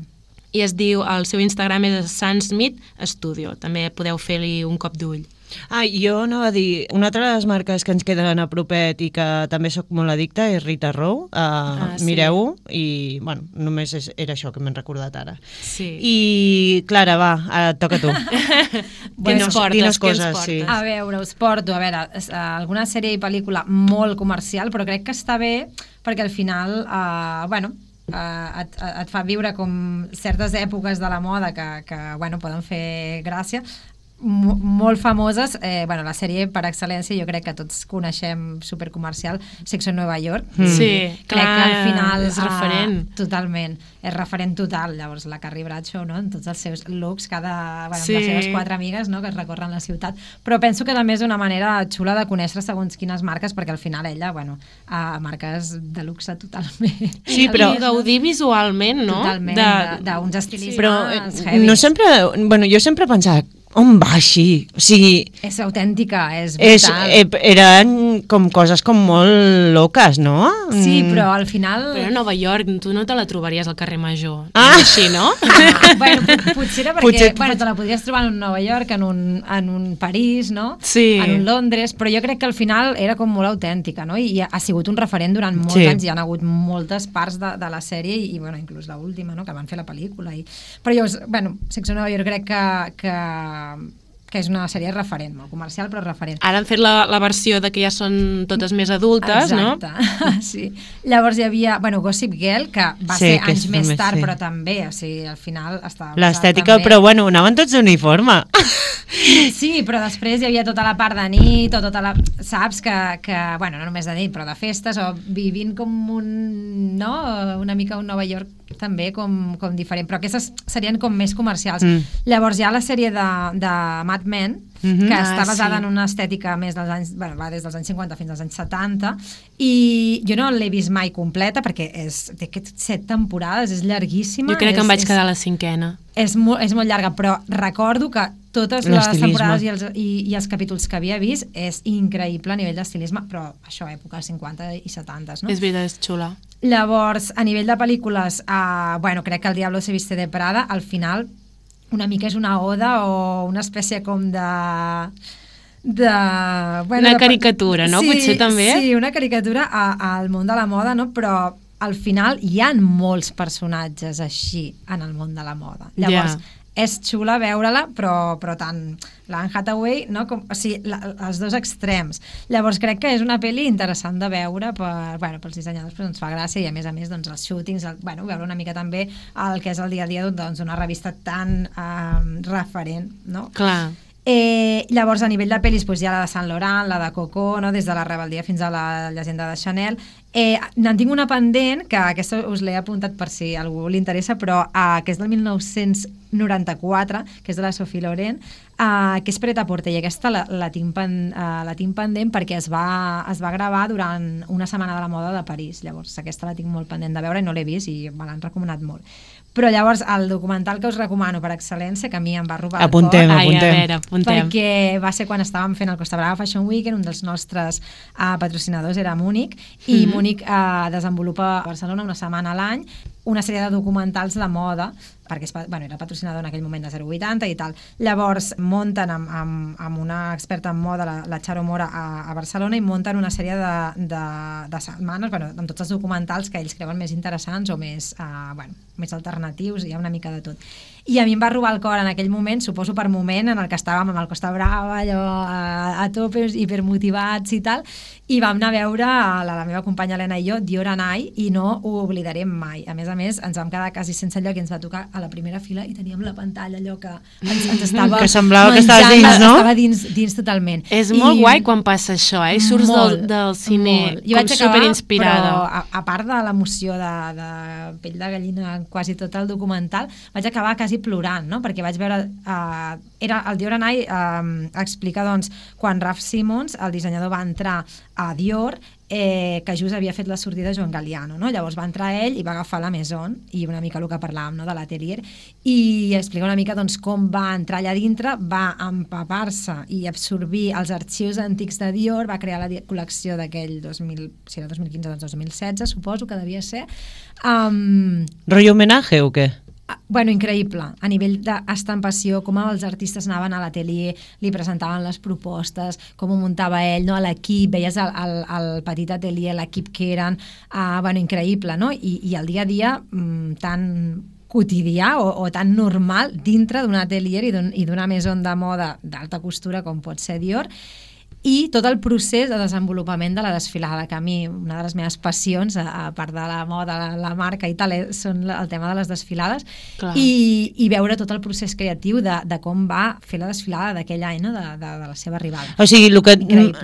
I es diu, el seu Instagram és Sun Smith Studio, també podeu fer-li un cop d'ull. Ah, jo anava a dir, una altra de les marques que ens queden a propet i que també sóc molt addicta és Rita Row. Uh, Ah, sí. Mireu-ho i, bueno, només és, era això que m'he recordat ara. Sí. I, Clara, va, ara et toca a tu. Què ens portes? Quines Què ens coses, portes? sí. A veure, us porto, a veure, es- eh, alguna sèrie i pel·lícula molt comercial, però crec que està bé perquè al final, eh, bueno, eh, et, et fa viure com certes èpoques de la moda que, que bueno, poden fer gràcia. mo- molt famoses, eh, bueno, la sèrie per excel·lència jo crec que tots coneixem, supercomercial, Sexo en Nova York. Mm. Sí, crec clar, que al final és referent. Uh, totalment, és referent total. Llavors la Carrie Bradshaw, no?, en tots els seus looks, cada, bueno, Sí. amb les seves quatre amigues, no?, que es recorren la ciutat, però penso que també és una manera xula de conèixer segons quines marques, perquè al final ella, bueno, a marques de luxe totalment. Sí, però- I gaudir visualment, no? Totalment, De- de- d'uns estilismes Però eh, heavies. no sempre... Bueno, jo sempre pensava, on va així? O sigui, És autèntica, és és, brutal. eh, eren com coses com molt loques, no? Sí, Mm. però al final... Però a Nova York tu no te la trobaries al carrer Major. Ah! És així, no? Ah, bueno, pot- potser era perquè Potser- bueno, te la podries trobar en un Nova York, en un, en un París, no? Sí. En un Londres, però jo crec que al final era com molt autèntica, no? I ha sigut un referent durant molts Sí. anys, hi ha hagut moltes parts de, de la sèrie i, i bueno, inclús l'última, no?, que van fer la pel·lícula. I... Però jo, bueno, Sexo en Nova York crec que, que, que és una sèrie referent, molt comercial, però referent. Ara han fet la, la versió de que ja són totes més adultes, Exacte. no? Sí. Llavors hi havia, bueno, Gossip Girl, que va Sí, ser que anys és més també, tard, sí. però també, o sigui, al final estava... L'estètica, també- però bueno, anaven tots d'uniforme. Sí, però després hi havia tota la part de nit, o tota la... Saps que, que, bueno, no només de nit, però de festes, o vivint com un... no? Una mica un Nova York també com, com diferent, però aquestes serien com més comercials. Mm. Llavors hi ha la sèrie de, de Mad Men, Mhm. que Ah, està basada sí. en una estètica més dels anys, bueno, va des dels anys cinquanta fins als anys setanta, i jo no l'he vist mai completa perquè és, té aquests set temporades, és llarguíssima. Jo crec que és, em vaig és, quedar a la cinquena. És molt, és molt llarga, però recordo que totes les L'estilisme. temporades i els, i, i els capítols que havia vist és increïble a nivell d'estilisme, però això, època cinquanta i setanta, no? És veritat, és xula. Llavors, a nivell de pel·lícules, uh, bueno, crec que El Diablo se viste de Prada, al final, una mica és una oda o una espècie com de... de bueno, Una de- caricatura, no? Sí, Potser també? Sí, una caricatura a, al món de la moda, no? Però al final hi han molts personatges així en el món de la moda. Llavors, Ja. és xula veure-la, però, però tant l'Anne Hathaway, no? Com, o sigui, la, els dos extrems. Llavors crec que és una pel·li interessant de veure per, bueno, pels dissenyadors, però ens fa gràcia, i a més a més doncs, els shootings, el, bueno, veure una mica també el que és el dia a dia doncs, d'una revista tan eh, referent, no? Clar. Eh, llavors, a nivell de pel·lis, doncs, hi ha la de Saint Laurent, la de Coco, no? Des de la rebel·lia fins a la llegenda de Chanel. Eh, N'en tinc una pendent, que aquesta us l'he apuntat per si a algú li interessa, però eh, que és del mil nou-cents noranta-quatre, que és de la Sophie Loren, eh, que és Pret-a-Porter, i aquesta la, la, tinc pen, eh, la tinc pendent perquè es va, es va gravar durant una setmana de la moda de París. Llavors, aquesta la tinc molt pendent de veure i no l'he vist i me l'han recomanat molt. Però llavors, el documental que us recomano per excel·lència, que a mi em va robar Apuntem, el cor, Ai, a apuntem. veure, apuntem. perquè va ser quan estàvem fent el Costa Brava Fashion Weekend, un dels nostres uh, patrocinadors era Múnich, i Mhm. Múnich uh, desenvolupa a Barcelona una setmana a l'any una sèrie de documentals de moda, perquè es, bueno, era patrocinador en aquell moment de zero vuitanta i tal. Llavors munten amb, amb, amb una experta en moda, la, la Charo Mora, a, a Barcelona, i munten una sèrie de, de, de setmanes, bueno, amb tots els documentals que ells creuen més interessants o més, uh, bueno, més alternatius, hi ha una mica de tot. I a mi em va robar el cor en aquell moment, suposo per moment en el que estàvem amb el Costa Brava, allò a, a tope, hipermotivats i tal, i vam anar a veure, la, la meva companya Helena i jo, Dior and I, i no ho oblidarem mai. A més a més, ens vam quedar quasi sense lloc i ens va tocar a la primera fila i teníem la pantalla, allò que ens, ens estava Que semblava que menjant, estaves dins, no? Estava dins, dins totalment. És I, molt guai quan passa això, eh? I surts molt, del, del cine molt. Jo com vaig acabar, superinspirada. Però a, a part de l'emoció de, de pell de gallina quasi tot el documental, vaig acabar quasi plorant, no? Perquè vaig veure... Uh, era el Dior and I uh, explica, doncs, quan Raf Simons, el dissenyador, va entrar a Dior, eh, que just havia fet la sortida Joan Galliano, no? Llavors va entrar ell i va agafar la Maison, i una mica el que parlàvem, no?, de l'atelier, i explica una mica, doncs, com va entrar allà dintre, va empapar-se i absorbir els arxius antics de Dior, va crear la col·lecció d'aquell dos mil, si era dos mil quinze, doncs dos mil setze, suposo que devia ser. Um, Rollo homenatge o què? Bueno, increïble, a nivell d'estampació, com els artistes anaven a l'atelier, li presentaven les propostes, com ho muntava ell, no? L'equip, veies el, el, el petit atelier, l'equip que eren, uh, bueno, increïble, no? I, i el dia a dia mm, tan quotidià o, o tan normal dintre d'un atelier i d'una maison de moda d'alta costura com pot ser Dior. i tot el procés de desenvolupament de la desfilada, que a mi una de les meves passions, a, a part de la moda, la, la marca i tal, és, són el tema de les desfilades, i, i veure tot el procés creatiu de, de com va fer la desfilada d'aquell any, no? de, de, de la seva arribada. O sigui, el que,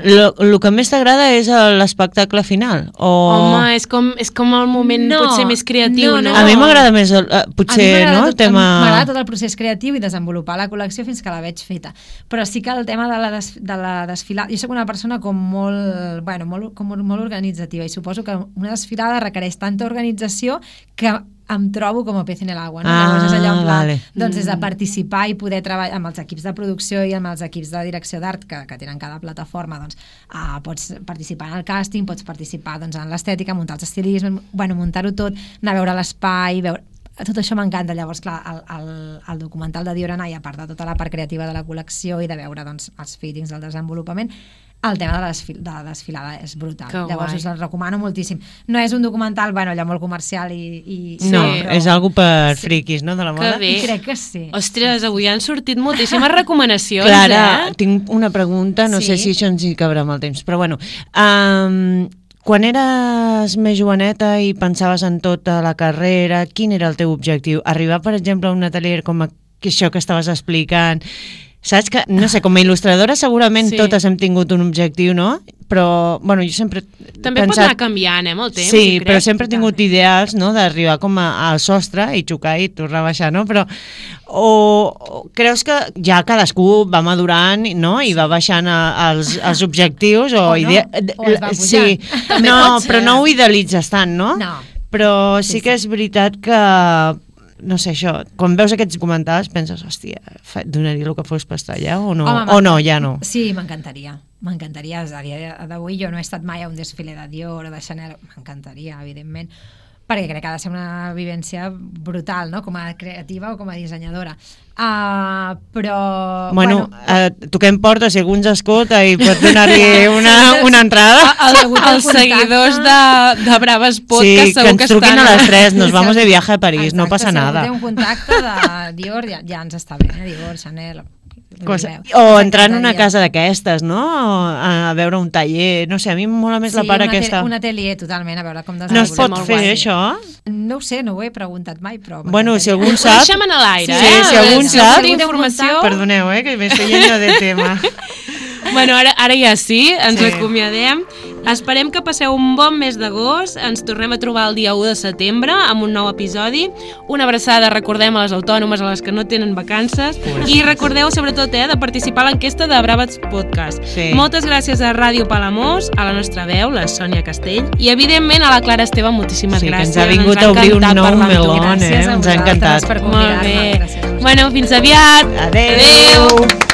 lo, lo que més t'agrada és l'espectacle final? O... Home, és com, és com el moment no, potser més creatiu, no? no, no. A mi m'agrada més, el, potser, no? Tot, el tema... M'agrada tot el procés creatiu i desenvolupar la col·lecció fins que la veig feta. Però sí que el tema de la, des, de la desfilada... Jo soc una persona com molt, bueno, molt, com molt organitzativa i suposo que una desfilada requereix tanta organització que em trobo com a pez en l'aigua, no? Ah, Llavors és allò en pla, vale. doncs és de participar i poder treballar amb els equips de producció i amb els equips de direcció d'art que, que tenen cada plataforma, doncs uh, pots participar en el càsting, pots participar doncs, en l'estètica, muntar els estilismes, bueno, muntar-ho tot, anar a veure l'espai, veure... Tot això m'encanta. Llavors, clar, el, el, el documental de Dior and I, a part de tota la part creativa de la col·lecció i de veure doncs, els fittings del desenvolupament, el tema de la, desfil de la desfilada és brutal. Que Llavors guai. us el recomano moltíssim. No és un documental, bueno, allò molt comercial i... i No, sí, però... és algo per Sí. friquis, no?, de la moda. Que bé. I crec que sí. Ostres, avui han sortit moltíssimes recomanacions, Clara, eh? tinc una pregunta, no Sí. sé si això ens hi cabrà amb el temps, però bueno... Um, quan eres més joveneta i pensaves en tota la carrera, quin era el teu objectiu? Arribar, per exemple, a un atelier com això que estaves explicant... Saps que, no sé, com a il·lustradora segurament Sí. totes hem tingut un objectiu, no? Però, bueno, jo sempre he També pot pensat... anar canviant, eh, amb el temps. Sí, jo crec. però sempre he tingut ideals, no?, d'arribar com a, al sostre i xocar i tornar a baixar, no? Però, o, o creus que ja cadascú va madurant, no?, i va baixant a, als, als objectius, o... O no, idea... o es va pujant. Sí, També no, pot ser. però no ho idealitzes tant, no? No. Però sí, Sí, que sí. és veritat que, no sé, això, quan veus aquests documentals penses, hòstia, fa- donaria el que fos per estar allà o no? Home, o no, ja no? Sí, m'encantaria. M'encantaria. A dia d'avui jo no he estat mai a un desfile de Dior o de Chanel. M'encantaria, evidentment, perquè crec que ha de ser una vivència brutal, no?, com a creativa o com a dissenyadora. Uh, però... Bueno, bueno eh, toquem porta, si algú ens escolta i pot donar-li una, una entrada. El, els seguidors de, de Braves Podcast Sí, que segur ens que truquin estan... a les tres, nos vamos de viaje a París, Exacte, no passa si algú nada. té un contacte de Dior, ja, ja ens està bé, eh? Dior, Chanel... Cosa, o entrar en una casa d'aquestes, no? A, a veure un taller, no sé, a mi em mola més sí, la part un aquesta. un atelier totalment, a veure com No es pot desenvolupem. fer guai. això? No ho sé, no ho he preguntat mai, però... Bueno, si m'encantaria. algú sap... Deixem en l'aire, Sí, eh? si algú en si sap... algú té informació... Perdoneu, eh, que m'estoy yendo de tema. Bueno, ara, ara ja sí, ens Sí. acomiadem. Esperem que passeu un bon mes d'agost. Ens tornem a trobar el dia u de setembre amb un nou episodi. Una abraçada, recordem, a les autònomes, a les que no tenen vacances. I recordeu, sobretot, eh, de participar a l'enquesta de Braves Podcast. Sí. Moltes gràcies a Ràdio Palamós, a la nostra veu, la Sònia Castell, i, evidentment, a la Clara Esteve, moltíssimes Sí, que gràcies. ens ha vingut a obrir un encantat nou parlar amb tu. meló, eh? Gràcies a Ens ha encantat. vosaltres per Molt convidar-me. bé. Gràcies a vosaltres. Bueno, fins aviat. Adéu. Adéu.